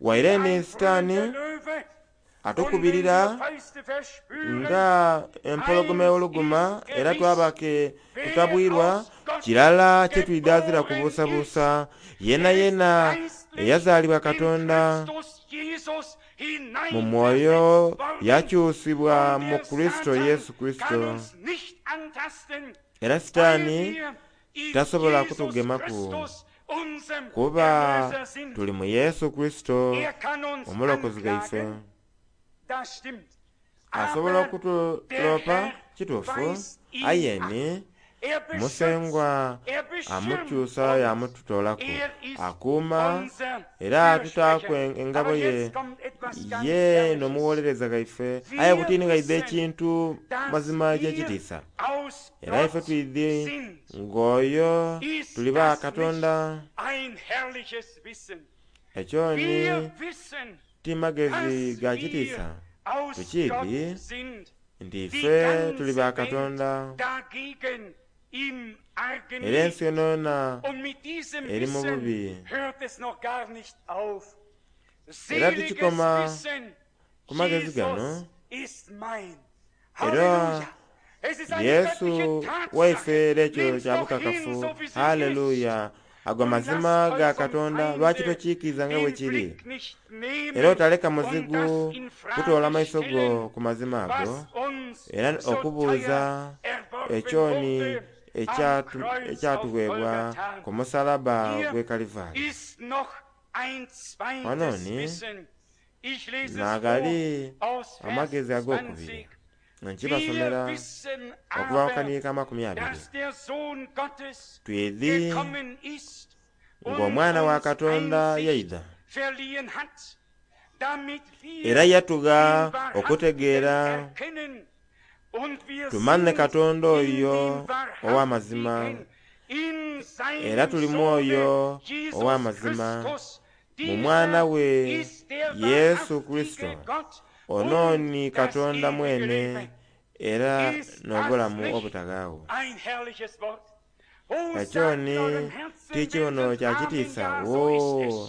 Waire ni Sitaani atukubirira nga empologoma ewoluguma, era twabake tutabwirwa kirala kye twidazira kubuusabuusa. Yena yena eyazaalibwa Katonda mu mwoyo yakyusibwa mu Kristo Yesu Kristo, era Sitaani tasobola kutugemaku kuba tuli mu Yesu Kristo omulokozi gaife. Asobola okutulopa kituufu, aye ni Musengwa amukyusa yamututoolaku, akuuma era atutaaku engabo ye ye n'omuwolereza gaife. Aye butini gaidha ekintu mazima eky'ekitiisa, era ife twidhi ng'oyo tuli ba Katonda. Ekyo ni ti magezi ga kitiisa, tukiidhi nti ife tuli ba Katonda, era ensi yonayona eri mu bubi. Era tukikoma ku magezi gano, era Yesu waife era ekyo kya bukakafu. Haleluya! Ago mazima ga Katonda, lwaki tokiikiriza nga bwe kiri? Era otaleka muzigu kutoola maiso go ku mazima ago, era okubuuza ekyoni ekyatuweebwa ku musalaba gw'e Kalivaali. Wano ni naagali amagezi ag'okubiri nkibasomera okuva ku kaniika amakumi abiri. Twidhi ng'Omwana wa Katonda yaidha, era yatugha okutegeera tumanhe Katonda oyo ow'amazima, era tuli mwoyo ow'amazima mu Mwana we Yesu Kristo. Ono ni Katonda mwene era n'obulamu obutaghawo. Ekyo ni ti kibono kya kitiisa? Woo!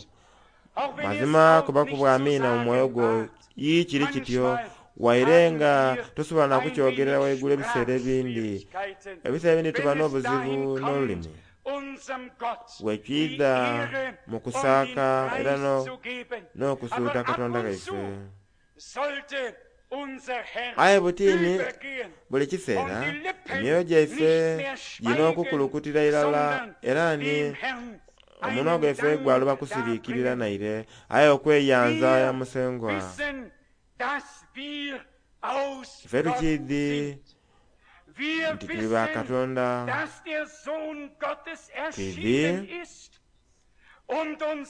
Mazima kuba kubwa amiina mu mwoyo gwo ii kiri kityo, waire nga tosobola na kukyogerera waigulu ebiseera ebindi. Ebiseera ebindi tuba n'obuzibu n'olulimi bwekidha mu kusaaka era n'okusuuta Katonda gaife. Aye butini buli kiseera emyoyo gyaife gina okukulukutira irala, era ni omunwa gwaife gwaloba kusiriikirira naire, aye okweyanza ya Musengwa. Ife tukiidhi nti tuli ba Katonda, twidhi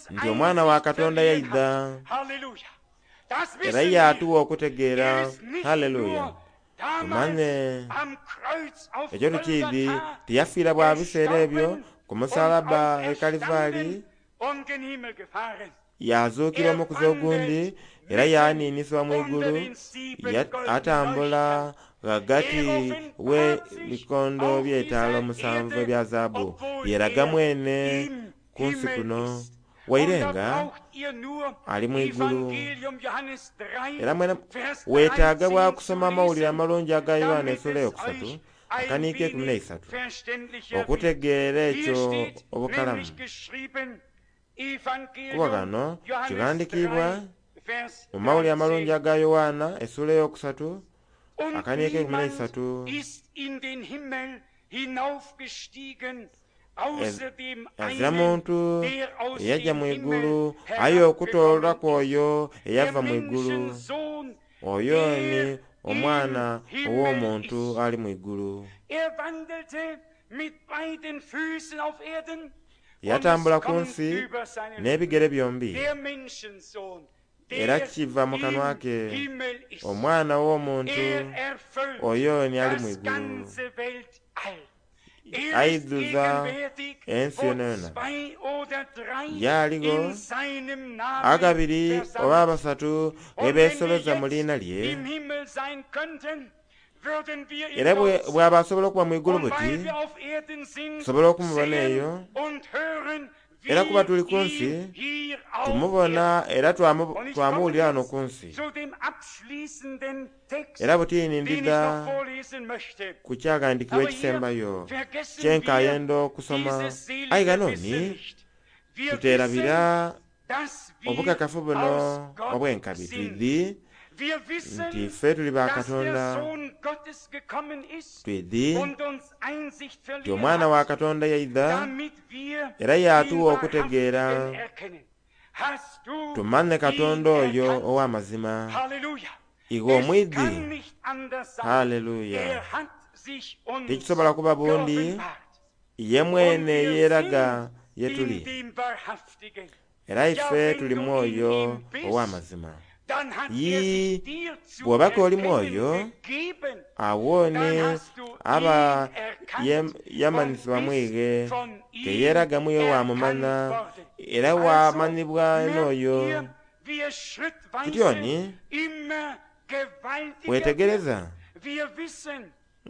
nti Omwana wa Katonda yaidha era yatuwa okutegeera. Haleluya! Tumanye ekyo tukiidhi tiyafiira bwa biseera ebyo ku musalaba e Kalivaali, yazuukira omukuzi ogundi era yaniinisibwa mu igulu, atambula ghagati we bikondo by'etaala omusanvu ebya zaabu yeraga mwene ku nsi kuno waire nga ali mu igulu. Era mwene weetaaga bwa kusoma amawulire amalungi aga Yowaana essuula eyokusatu akaniiko ekumi n'eisatu okutegeera ekyo obukalamu. Kuba kano kiwandiikibwa mu mawulire amalungi aga Yowaana essuula eyokusatu akaniiko ekumi n'eisatu. Azira muntu eyajja mu igulu aye okutooleraku oyo eyava mu igulu, oyo ni omwana ow'omuntu ali mu igulu. Yatambula ku nsi n'ebigere byombi, era kiva mu kanwa ke omwana w'omuntu oyo ni ali mu igulu. Aidhuza ensi yonayona. Yaligho agabiri oba abasatu ebeesoloza mu liina lye, era bw'aba asobola okuba mu igulu buti tusobola okumubona eyo. Era kuba tuli ku nsi tumubona era twamuwulira wano ku nsi. Era butini ndidha ku kyaghandiikibwa ekisembayo kyenkayenda okusoma. Aye ghano ni tuterabira obukakafu buno obw'enkabi twidhi nti ffe tuli ba Katonda, twidhi nti omwana wa Katonda yaidha era yatuwa okutegeera tumanye Katonda oyo ow'amazima. Iwe omwidhi, haleluya! Tikisobola kuba bundi ye mwene yeeraga ye tuli, era ife tuli mwoyo ow'amazima. Yii, bw'obaka oli mwoyo, awo ni aba yamanhisibwa mwighe, teyeeraga mwiwe wamumanya era wamanhibwa n'oyo. Kityoni wetegereza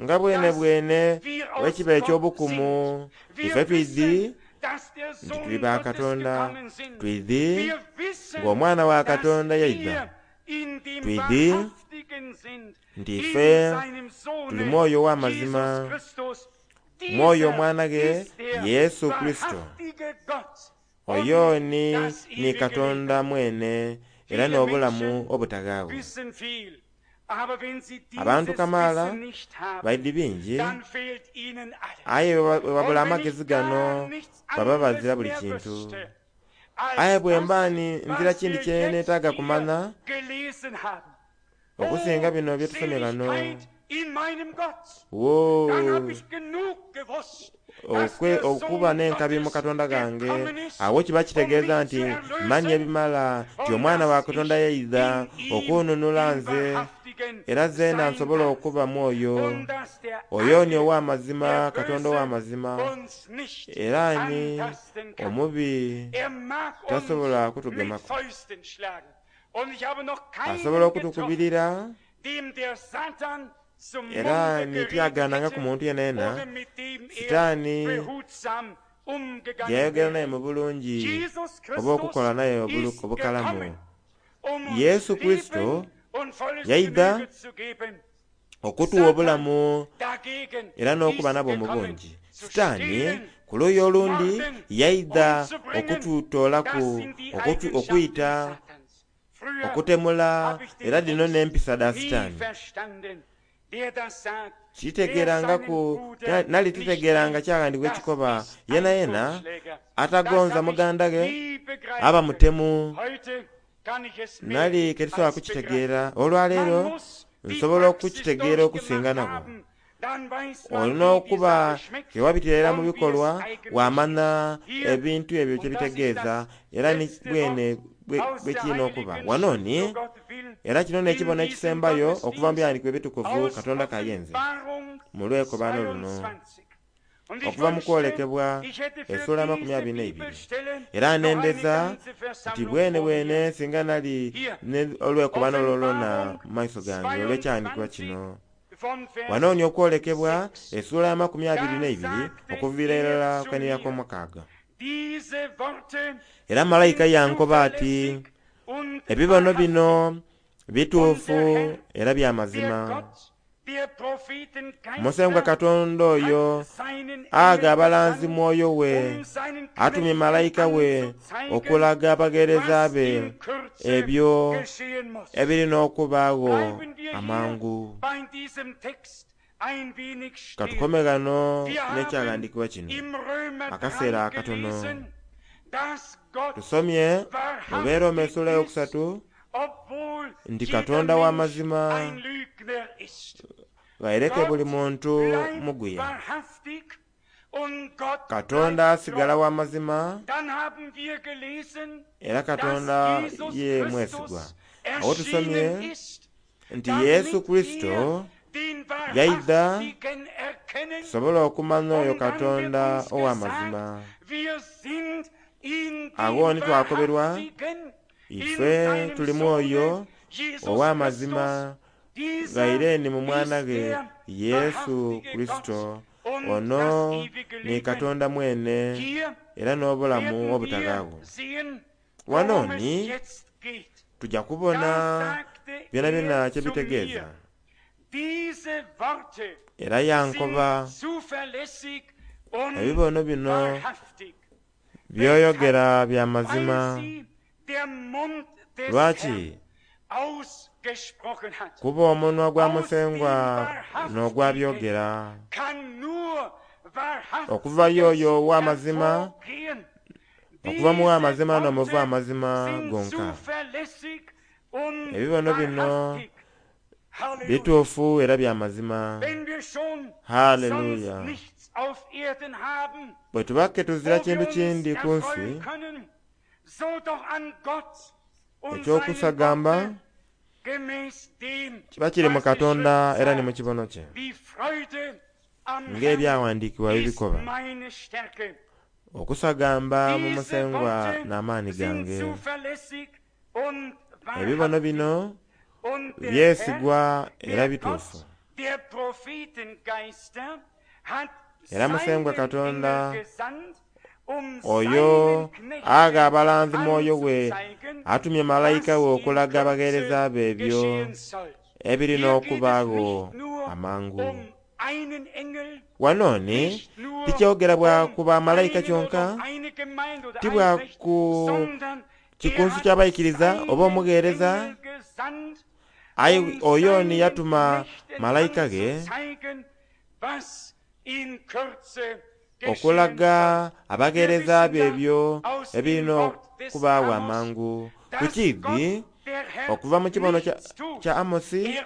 nga bwene bwene bwekiba eky'obukumu ife twidhi nti tuli ba Katonda, twidhi ng'omwana wa Katonda yaidha, twidhi nti ife tuli mwoyo ow'amazima, mwoyo omwana ge Yesu Kurisito. Oyo ni ni Katonda mwene era n'obulamu obutaghaagho. Abantu kamaala baidhi bingi, aye bwe babula amagezi gano baba bazira buli kintu. Aye bwe mba ni nzira kindi kye neetaaga kumanya okusinga bino bye tusomye ghano. Woo, okuba n'enkabi mu Katonda gange, awo kiba kitegeeza nti manya ebimala nti omwana wa Katonda yaidha okununula nze, era zeena nsobola okuba mwoyo oyo ni ow'amazima, Katonda ow'amazima, era ni omubi tasobola kutugemaku. Asobola okutukubirira era nityaganangaku muntu yenayena Sitaani yayogera naye mu bulungi oba okukola naye obukalamu. Yesu Kurisito yaidha okutuwa obulamu era n'okuba nabwo mu bungi. Sitaani ku luuyi olundi yaidha okututoolaku okwita, okutemula, era dhino n'empisa dha Sitaani. Kitegeerangaku nali titegeeranga kyaghandiikibwa ekikoba yena yena atagonza muganda ghe aba mutemu. Nali ketisobola kukitegeera olwaleero nsobola okukitegeera okusinga nabo. Olina okuba kewabitira mu bikolwa wamanya ebintu ebyo kyebitegeeza era ni bwene bwekirina okuba. Wano ni era kino n'ekibono ekisembayo okuva mu byawandiikibwa ebitukuvu Katonda kayenze mu lwekobano luno okuva mu kwolekebwa essuula amakumi abiri n'eibiri. Era nendeza nti bwene bwene singa nali olwekobano olwolwona mu maiso gange olw'ekyawandiikibwa kino. Wanoonya okwolekebwa essuula ya makumi abiri n'eibiri okuviira irala kwenira kw'omukaaga. Era malayika yankoba ati, ebibono bino bituufu era bya mazima. Musengwa Katonda oyo aga abalanzi mwoyo we, atumye malayika we okulaga abagheereza be ebyo ebirina okubaagho amangu. Katukome ghano n'ekyaghandiikibwa kino akaseera akatono. Tusomye mu Beeroma essuula eyokusatu nti Katonda w'amazima ghaireke buli muntu muguya. Katonda asigala w'amazima era Katonda ye mwesigwa. Awo tusomye nti Yesu Kurisito yaidha tusobole okumanya oyo Katonda ow'amazima. Agho ni twakoberwa ife tulimu oyo ow'amazima ghaire ni mu mwana ghe Yesu Kurisito, ono ni Katonda mwene era n'obulamu obutaghaagho. Wano ni tujja kubona byonabyona kyebitegeeza. Era yankoba ebibono bino byoyogera bya mazima. Lwaki? Kuba omunwa gwa Musengwa n'ogwabyogera. Okuva y'oyo ow'amazima, okuva mu w'amazima n'omuva amazima gonka. Ebibono bino bituufu era bya mazima. Haleluya! Bwe tuba ke tuzira kintu kindi ku nsi ekyokusagamba kiba kiri mu Katonda era ni mu kibono kye, ng'ebyawandiikibwa bibikoba. Okusagamba mu Musengwa n'amaani gange. Ebibono bino byesigwa era bituufu. Era Musengwa Katonda oyo agha abalanzi mwoyo we, atumye malayika we okulaga abagheereza be ebyo ebirina okubaagho amangu. Wano ni tikyogera bwa kuba malayika kyonka, ti bwa ku kikunsu ky'abaikiriza oba omugheereza, aye oyo ni yatuma malayika ge okulaga abagheereza be ebyo ebirina okubaagho amangu. Ku kiidhi okuva mu kibono kya, kya Amosi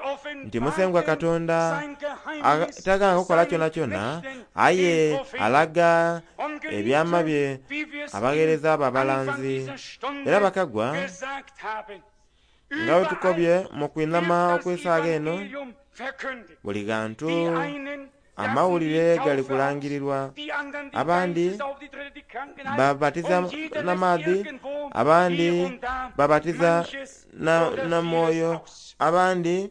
nti Musengwa Katonda tagana kukola kyonakyona, aye alaga ebyama bye abagheereza be abalanzi. Era bakagwa nga bwe tukobye mu kwinhama okw'esaaga eno, buli ghantu amawulire gali kulangirirwa. Abandi babatiza n'amaadhi, abandi babatiza na, na mwoyo, abandi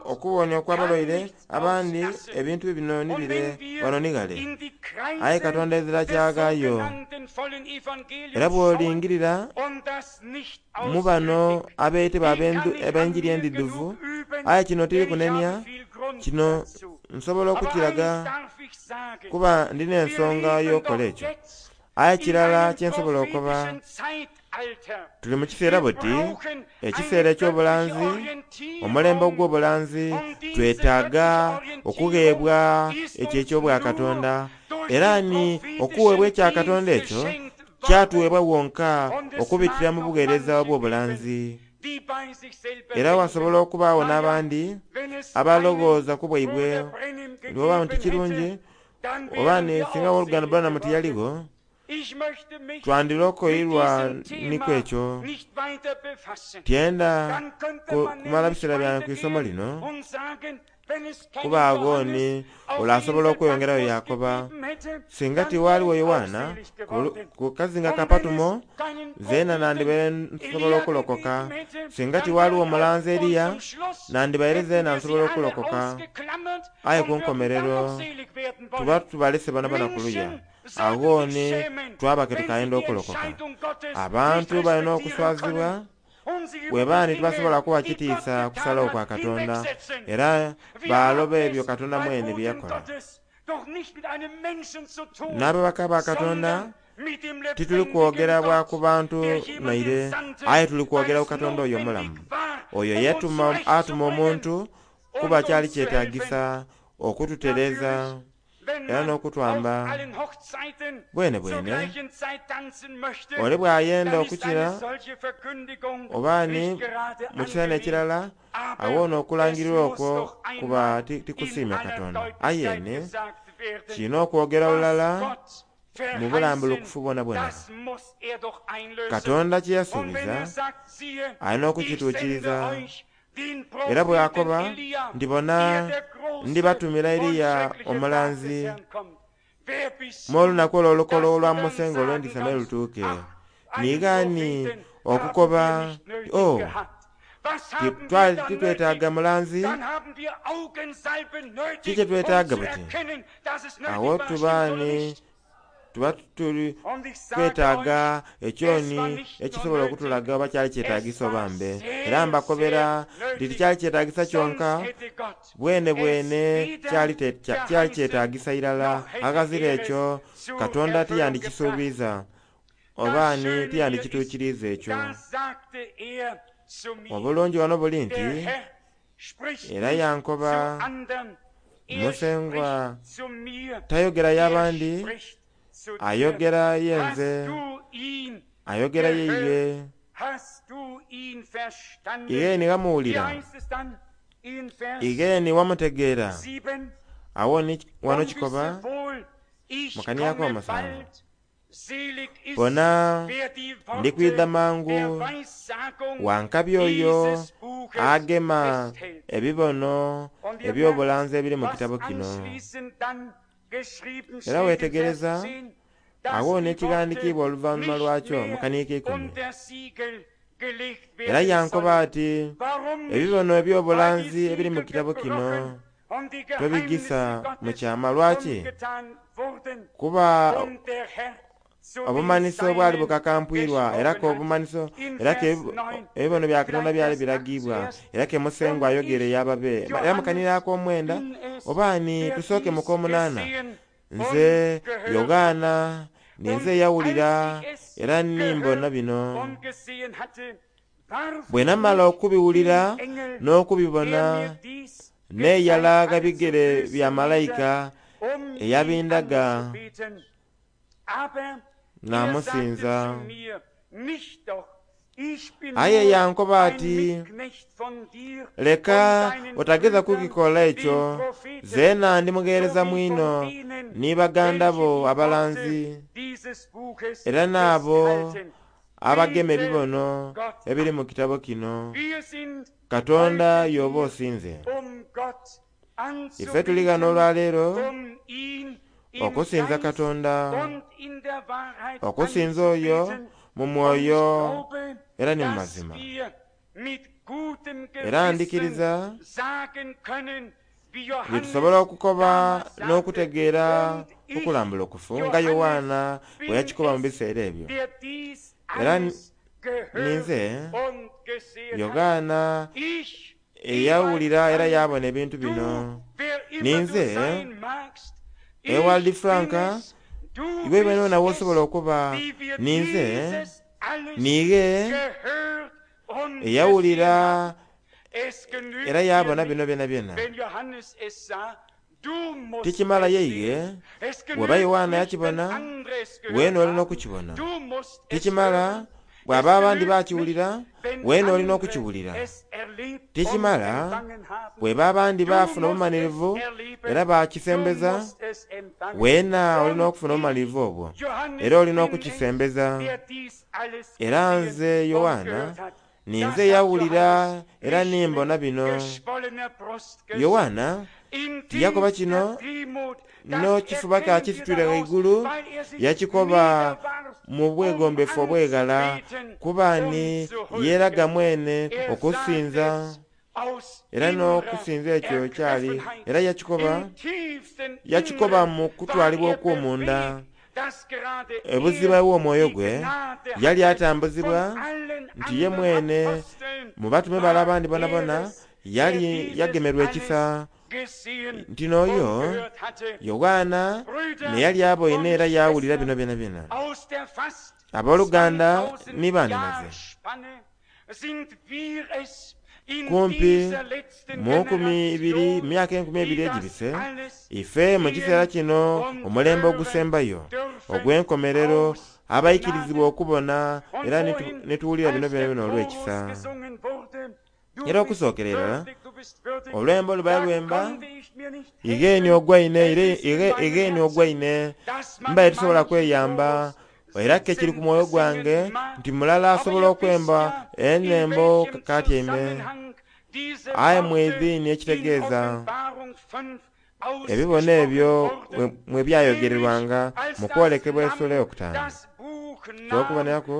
okuwonya okw'abalwaire, abandi ebintu bino ni bire wano ni ghale. Aye Katonda ezira kyagaayo. Era bw'olingirira mu bano abeetebwa ab'enjiri endidhuvu, aye kino tiri kunenia, kino nsobola okukiraga kuba ndina ensonga y'okukola ekyo. Aye kirala kye nsobola okukoba, tuli mu kiseera buti, ekiseera eky'obulanzi, omulembe ogw'obulanzi, twetaaga okugheebwa ekyo eky'obwakatonda. Era ni okuweebwa ekya Katonda ekyo kyatuweebwa wonka okubitira mu bugheereza obw'obulanzi. Era wasobola okubaagho n'abandi abalowooza ku bwaibwe oba nti kirungi oba ni singa owooluganda Branham tiyaligho, twandirokoirwa niku ekyo. Tyenda kumala biseera byange ku isomo lino, Kuba aghoni ole asobola okweyongerayo yakoba, singa tiwaliwo Yowaana ku kazinga ka Patumo, zeena nandibaire nsobola okulokoka. Singa tiwaliwo omulanzi Eriya, nandibaire zeena nsobola okulokoka. Aye ku nkomerero tuba tubalese bonabona kuluya. Aghoni twaba ke tukayenda okulokoka. Abantu balina okuswazibwa bwebani tibasobola kuwa kitiisa kusalawo kwa Katonda, era baloba ebyo Katonda mwene bye yakola. N'ababaka ba Katonda tituli kwogera bwa ku bantu naire, aye tuli kwogera ku Katonda oyo omulamu, oyo yatuma atuma omuntu kuba kyali kyetagisa okututereza era n'okutwamba bwene bwene. Ole bw'ayenda okukira obaani mu kiseera ekirala, awona okulangirira okwo kuba tikusiimya Katonda. Aye kirina okwogera bulala mu bulambulukufu bwona bwona. Katonda kye yasuubiza alina okukituukiriza. Era bw'akoba ndibona ndibatumira Eriya omulanzi mu olunaku olwo olukolo olwa Musengo olw'endisa me lutuuke. Niigaani okukoba o titwetaaga mulanzi, ki kye twetaaga buti? Awo tubaani tuba tuli twetaaga ekyoni ekisobola okutulaga oba kyali kyetagisa oba mbe. Era mbakobera nti tikyali kyetagisa kyonka, bwene bwene kyali kyali kyetagisa irala. Aghazira ekyo Katonda tiyandikisuubiza oba ni tiyandikituukiriza ekyo. Obulungi wano buli nti era yankoba Musengwa tayogera y'abandi, ayogera yenze, ayogera yeiye. Igeni wamuwulira, igeni wamutegeera. Awo ni wano kikoba mukaniako omusanvu, bona ndikwidha mangu, wankabi oyo agema ebibono eby'obulanzi ebiri mu kitabo kino. Era weetegereza awo n'ekighandiikibwa oluvannyuma lwakyo mu kaniiko ikumi. Era yankoba ati ebibono eby'obulanzi ebiri mu kitabo kino tobigisa mu kyama. Lwaki? Kuba obumanhiso obwali bukakampwirwa, era ke obumanhiso era ke ebibono bya Katonda byali biragibwa, era ke Musengwa ayogere yababe. Era mukaniraako omwenda oba ni tusooke mu k'omunaana, nze Yogaana ninze eyawulira era nimbona bino. Bwe namala okubiwulira n'okubibona, neeyala bigere bya malayika eyabindaga namusinza. Aye yankoba ati, leka otageza kukikola ekyo, zeena ndi mugheereza mwino ni baganda bo abalanzi, era n'abo abagema ebibono ebiri mu kitabo kino. Katonda y'oba osinze. Ife tuli ghano olwaleero okusinza Katonda, okusinza oyo mu mwoyo era ni mu mazima. Era ndikiriza nti tusobola okukoba n'okutegeera okulambulukufu nga Yowaana bwe yakikoba mu biseera ebyo. Era ninze Yogaana eyawulira era yabona ebintu bino. Ninze Ewald Franka, iwe bwene nawe osobola okuba ninze niighe eyawulira era yabona bino byona byona. Tikimala yeighe bw'oba Yowaana yakibona, weena olina okukibona. Tikimala bw'aba abandi bakiwulira, weena olina okukiwulira. Tikimala bw'eba abandi baafuna obumalirivu era bakisembeza, weena olina okufuna obumalirivu obwo era olina okukisembeza. Era nze Yowaana ninze eyawulira era nimbona bino. Yowaana tiyakoba kino n'okifuba kya kisitwire ghaigulu, yakikoba mu bwegombefu obweghala, kuba ni yeeraga mwene okusinza era n'okusinza ekyo kyali era yakikoba yakikoba mu kutwalibwa okw'omunda. Ebuziba bw'omwoyo gwe yali atambuzibwa nti ye mwene mu batume bale abandi bonabona yali yagemerwa ekisa nti n'oyo Yowaana ne yali aboine era yawulira bino byona byona. Abooluganda ni baninaze, kumpi mu nkumi ibiri myaka enkumi ebiri egibise, ife mu kiseera kino omulembe ogusembayo ogw'enkomerero abaikirizibwa okubona era netuwulira bino byona byona olw'ekisa. Era okusookera irala olwembo lubaye lwemba igheeni ogwaine igheeni ogwaine mbaye tusobola kweyamba, era ke kiri ku mwoyo gwange nti mulala asobola okwemba enembo katyaime aye mwidhiini ekitegeeza ebibono ebyo mwe byayogererwanga mu kwolekebwa essula eyokutaano. Ky'okuboneraku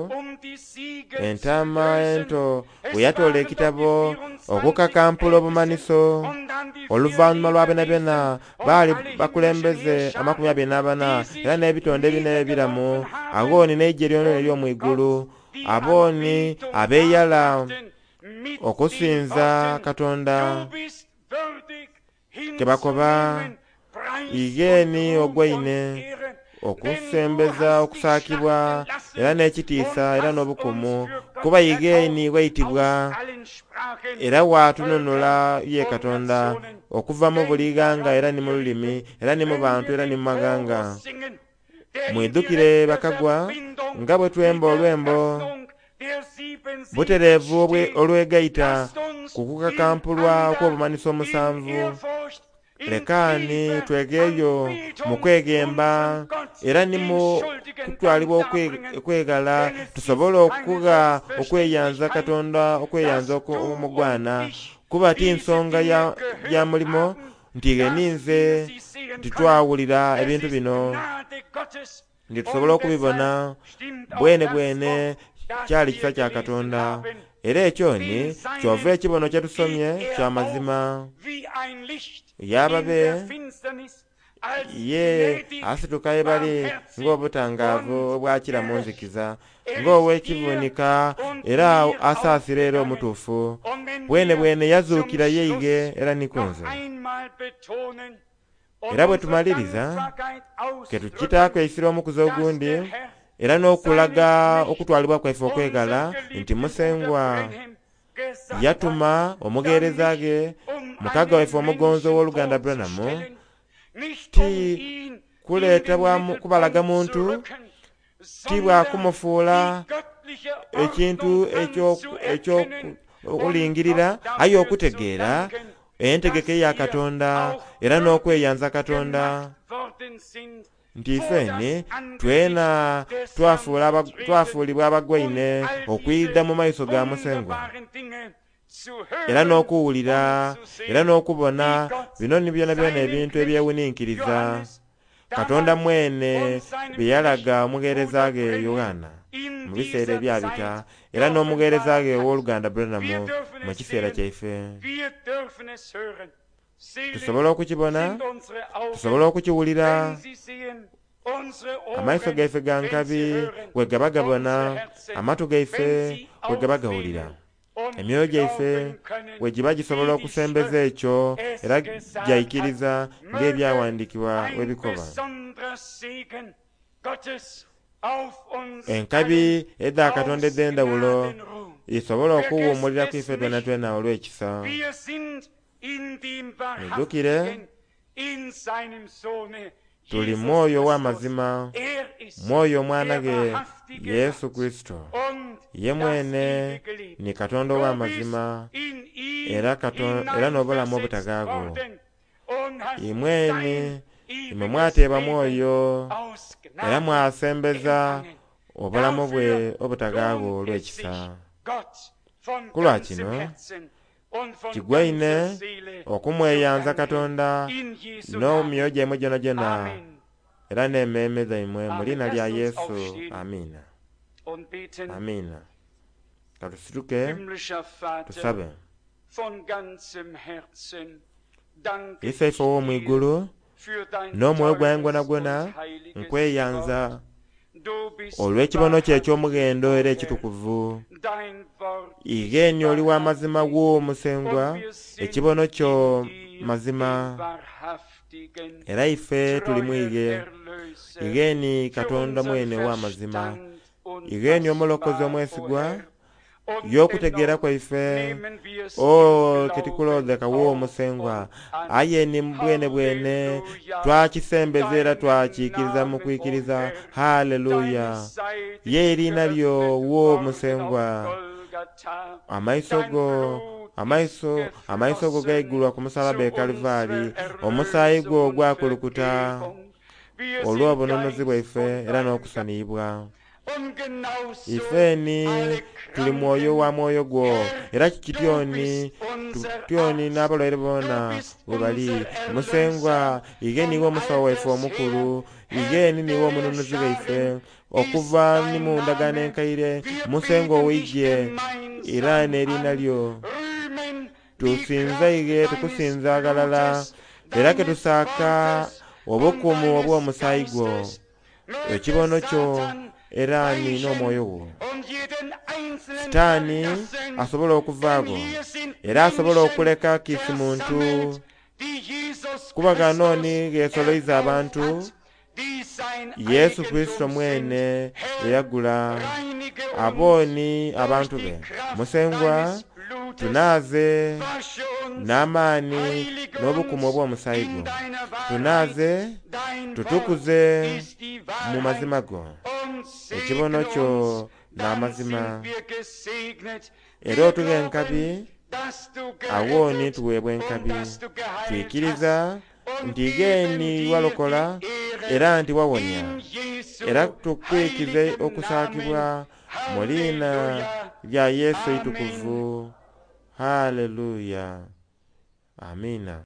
entaama ento bwe yatoola ekitabo okukakampula obumaniso oluvannyuma lwa byona baali bakulembeze amakumi abiri n'abana era n'ebitonde bina ebiramu, aghooni n'eggye lyona ery'omwigulu, abooni abeeyala okusinza Katonda kebakoba igheeni ogwaine okusembeza okusaakibwa era n'ekitiisa era n'obukumu, kuba igheeni waitibwa era waatununula ye Katonda okuva mu buli ghanga era ni mu lulimi era ni mu bantu era ni mu maghanga. Mwidhukire bakagwa nga bwe twemba olwembo butereevu olwegaita ku kukakampulwa okw'obumanhiso omusanvu. Lekaani twegeeyo mu kweghemba era ni mu kutwalibwa okweghala tusobole okugha okweyanza Katonda okweyanza omugwana, kuba ti nsonga ya, ya mulimo nti gheninze titwawulira ebintu bino nti tusobola okubibona bwene bwene kyali kisa kya Katonda. Era ekyo ni kyova ekibono kye tusomye kya mazima. Yababe ye asituka ye bali ng'obutangaavu obwakira mu nzikiza, ng'ow'ekivunika era asaasira era omutuufu. Bwene bwene yazuukira yeige era ni kunze. Era bwe tumaliriza ke tukitaaku eisira omukuzi ogundi era n'okulaga okutwalibwa kwaife okweghala nti Musengwa yatuma omugheereza ge mukaga waife omugonzi ow'oluganda Branham ti kuleeta kubalaga muntu, ti bwakumufuula ekintu eky'okulingirira, aye okutegeera entegeka eya Katonda era n'okweyanza Katonda nti ifeni twena twafuulibwa abagwaine okwidha mu maiso ga Musengwa era n'okuwulira era n'okubona bino ni byona byona ebintu ebyewuninkiriza Katonda mwene bye yalaga omugheereza ge Yowaana mu biseera ebyabita era n'omugheereza ge ow'oluganda Branham mu kiseera kyaife. Tusobola okukibona, tusobola okukiwulira, amaiso gaife ga nkabi bwe gaba gabona, amatu gaife bwe gaba gawulira, emyoyo gyaife bwe giba gisobola okusembeza ekyo era gyaikiriza ng'ebyawandiikibwa bwe bikoba. Enkabi edha Katonda edh'endawulo isobola okuwuumulira ku ife twena twena olw'ekisa. Mwidhukire tuli mwoyo w'amazima, mwoyo omwana ge Yesu Kristo. Ye mwene ni Katonda ow'amazima era era n'obulamu obutagaago. Imweni imwe mwateebwa mwoyo era mwasembeza obulamu bwe obutagaago olw'ekisa. Kulwa kino kigwaine Okumweyanza Katonda In Jesu n'emyoyo Namen. gyaimwe gyonagyona Amen. era n'emmeeme dhaimwe mu Amen. liina lya Lasst uns Yesu. aufstehen Amiina. und beten. Amiina. Katusituke Himmlischer Vater, tusabe. von ganzem Herzen danke Isaife ich ow'omu dir igulu für dein n'omwoyo gwange teures gwonagwona und heiliges Wort. nkweyanza Du bist olw'ekibono kyo wahrhaftig, eky'omughendo o era Herr. ekitukuvu. Dein Wort ist Igeni oli wa mazima wahrhaftig wo und Musengwa, wir sind ekibono kyo in dir, dem mazima, wahrhaftigen, era ife tuli treuer mwige. Erlöser, Igeni für Katonda unseren mwene w'amazima, Verstand igeni omulokozi unfassbar, o omwesigwa, Herr. Und y'okutegeera dennoch kwaife nehmen wir es im o Glauben tetikulondeka wo auf Musengwa, und an. aye ni bwene bwene Halleluja! twakisembeza era Deinen twakikiriza mu Namen, o kwikiriza. Herr, Haleluya! deine Seite Ye ist eriina lyo geöffnet wo worden auf Musengwa, Golgatha. amaiso Dein go Blut ist amaiso amaiso go geflossen gaigulwa ku musalaba zu e Kalivaali, unserer omusaayi gwo Erlösung und gwakulukuta Vergebung. Wir sind olw'obununuzi deins bwaife und era dein n'okusaniyibwa. Und genauso Ifeni alle tuli mwoyo wa Kranken, mwoyo gwo Herr, era du kityoni bist unser tutyoni Arzt, n'abalwaire du boona bist bwe bali. unser Musengwa Erlöser igeni von niwe omusawo waife alters her. omukulu, Herr igeni niwe der omununuzi waife Scharen ist okuva ni dein mu ndagaano Name. enkaire. Wir Musengwa beten dich ow'eggye era gemeinsam n'eriina an, lyo rühmen die tusinza Kraft ige deines tukusinza ghalala Blutes, era ke deines tusaaka Wortes und obukumu deines obw'omusaayi gwo, Geistes. Möge ekibono kyo Satan era ni weichen n'omwoyo gwo. und jeden Einzelnen Sitaani verlassen, asobola denn okuvaagho hier sind era asobola Menschen okuleka kiisi muntu versammelt, die Jesus kuba Christus ganooni geesoloiza erkauft abantu hat, die sein Yesu Kristo Eigentum sind. mwene Herr, eyagula reinige uns abooni durch abantu die be. Kraft Musengwa deines Blutes, tunaaze wasche uns, n'amaani heilige n'obukumu uns obw'omusaayi in gwo, deiner Wahrheit. tunaaze Dein Wort tutukuze ist die mu Wahrheit mazima go, und ekibono segne kyo uns, dann n'amazima. sind wir gesegnet. Era Wir otugha enkabi glauben, dass du awooni gerettet tuweebwa und enkabi. dass du geheilt hast Twikiriza und nti geben geeni dir walokola die Ehre era nti wawonya, in Jesu era tukwikize heiligen Namen. okusaakibwa mu liina Halleluja. lya Yesu Amen. eitukuvu. Haleluya. Amiina.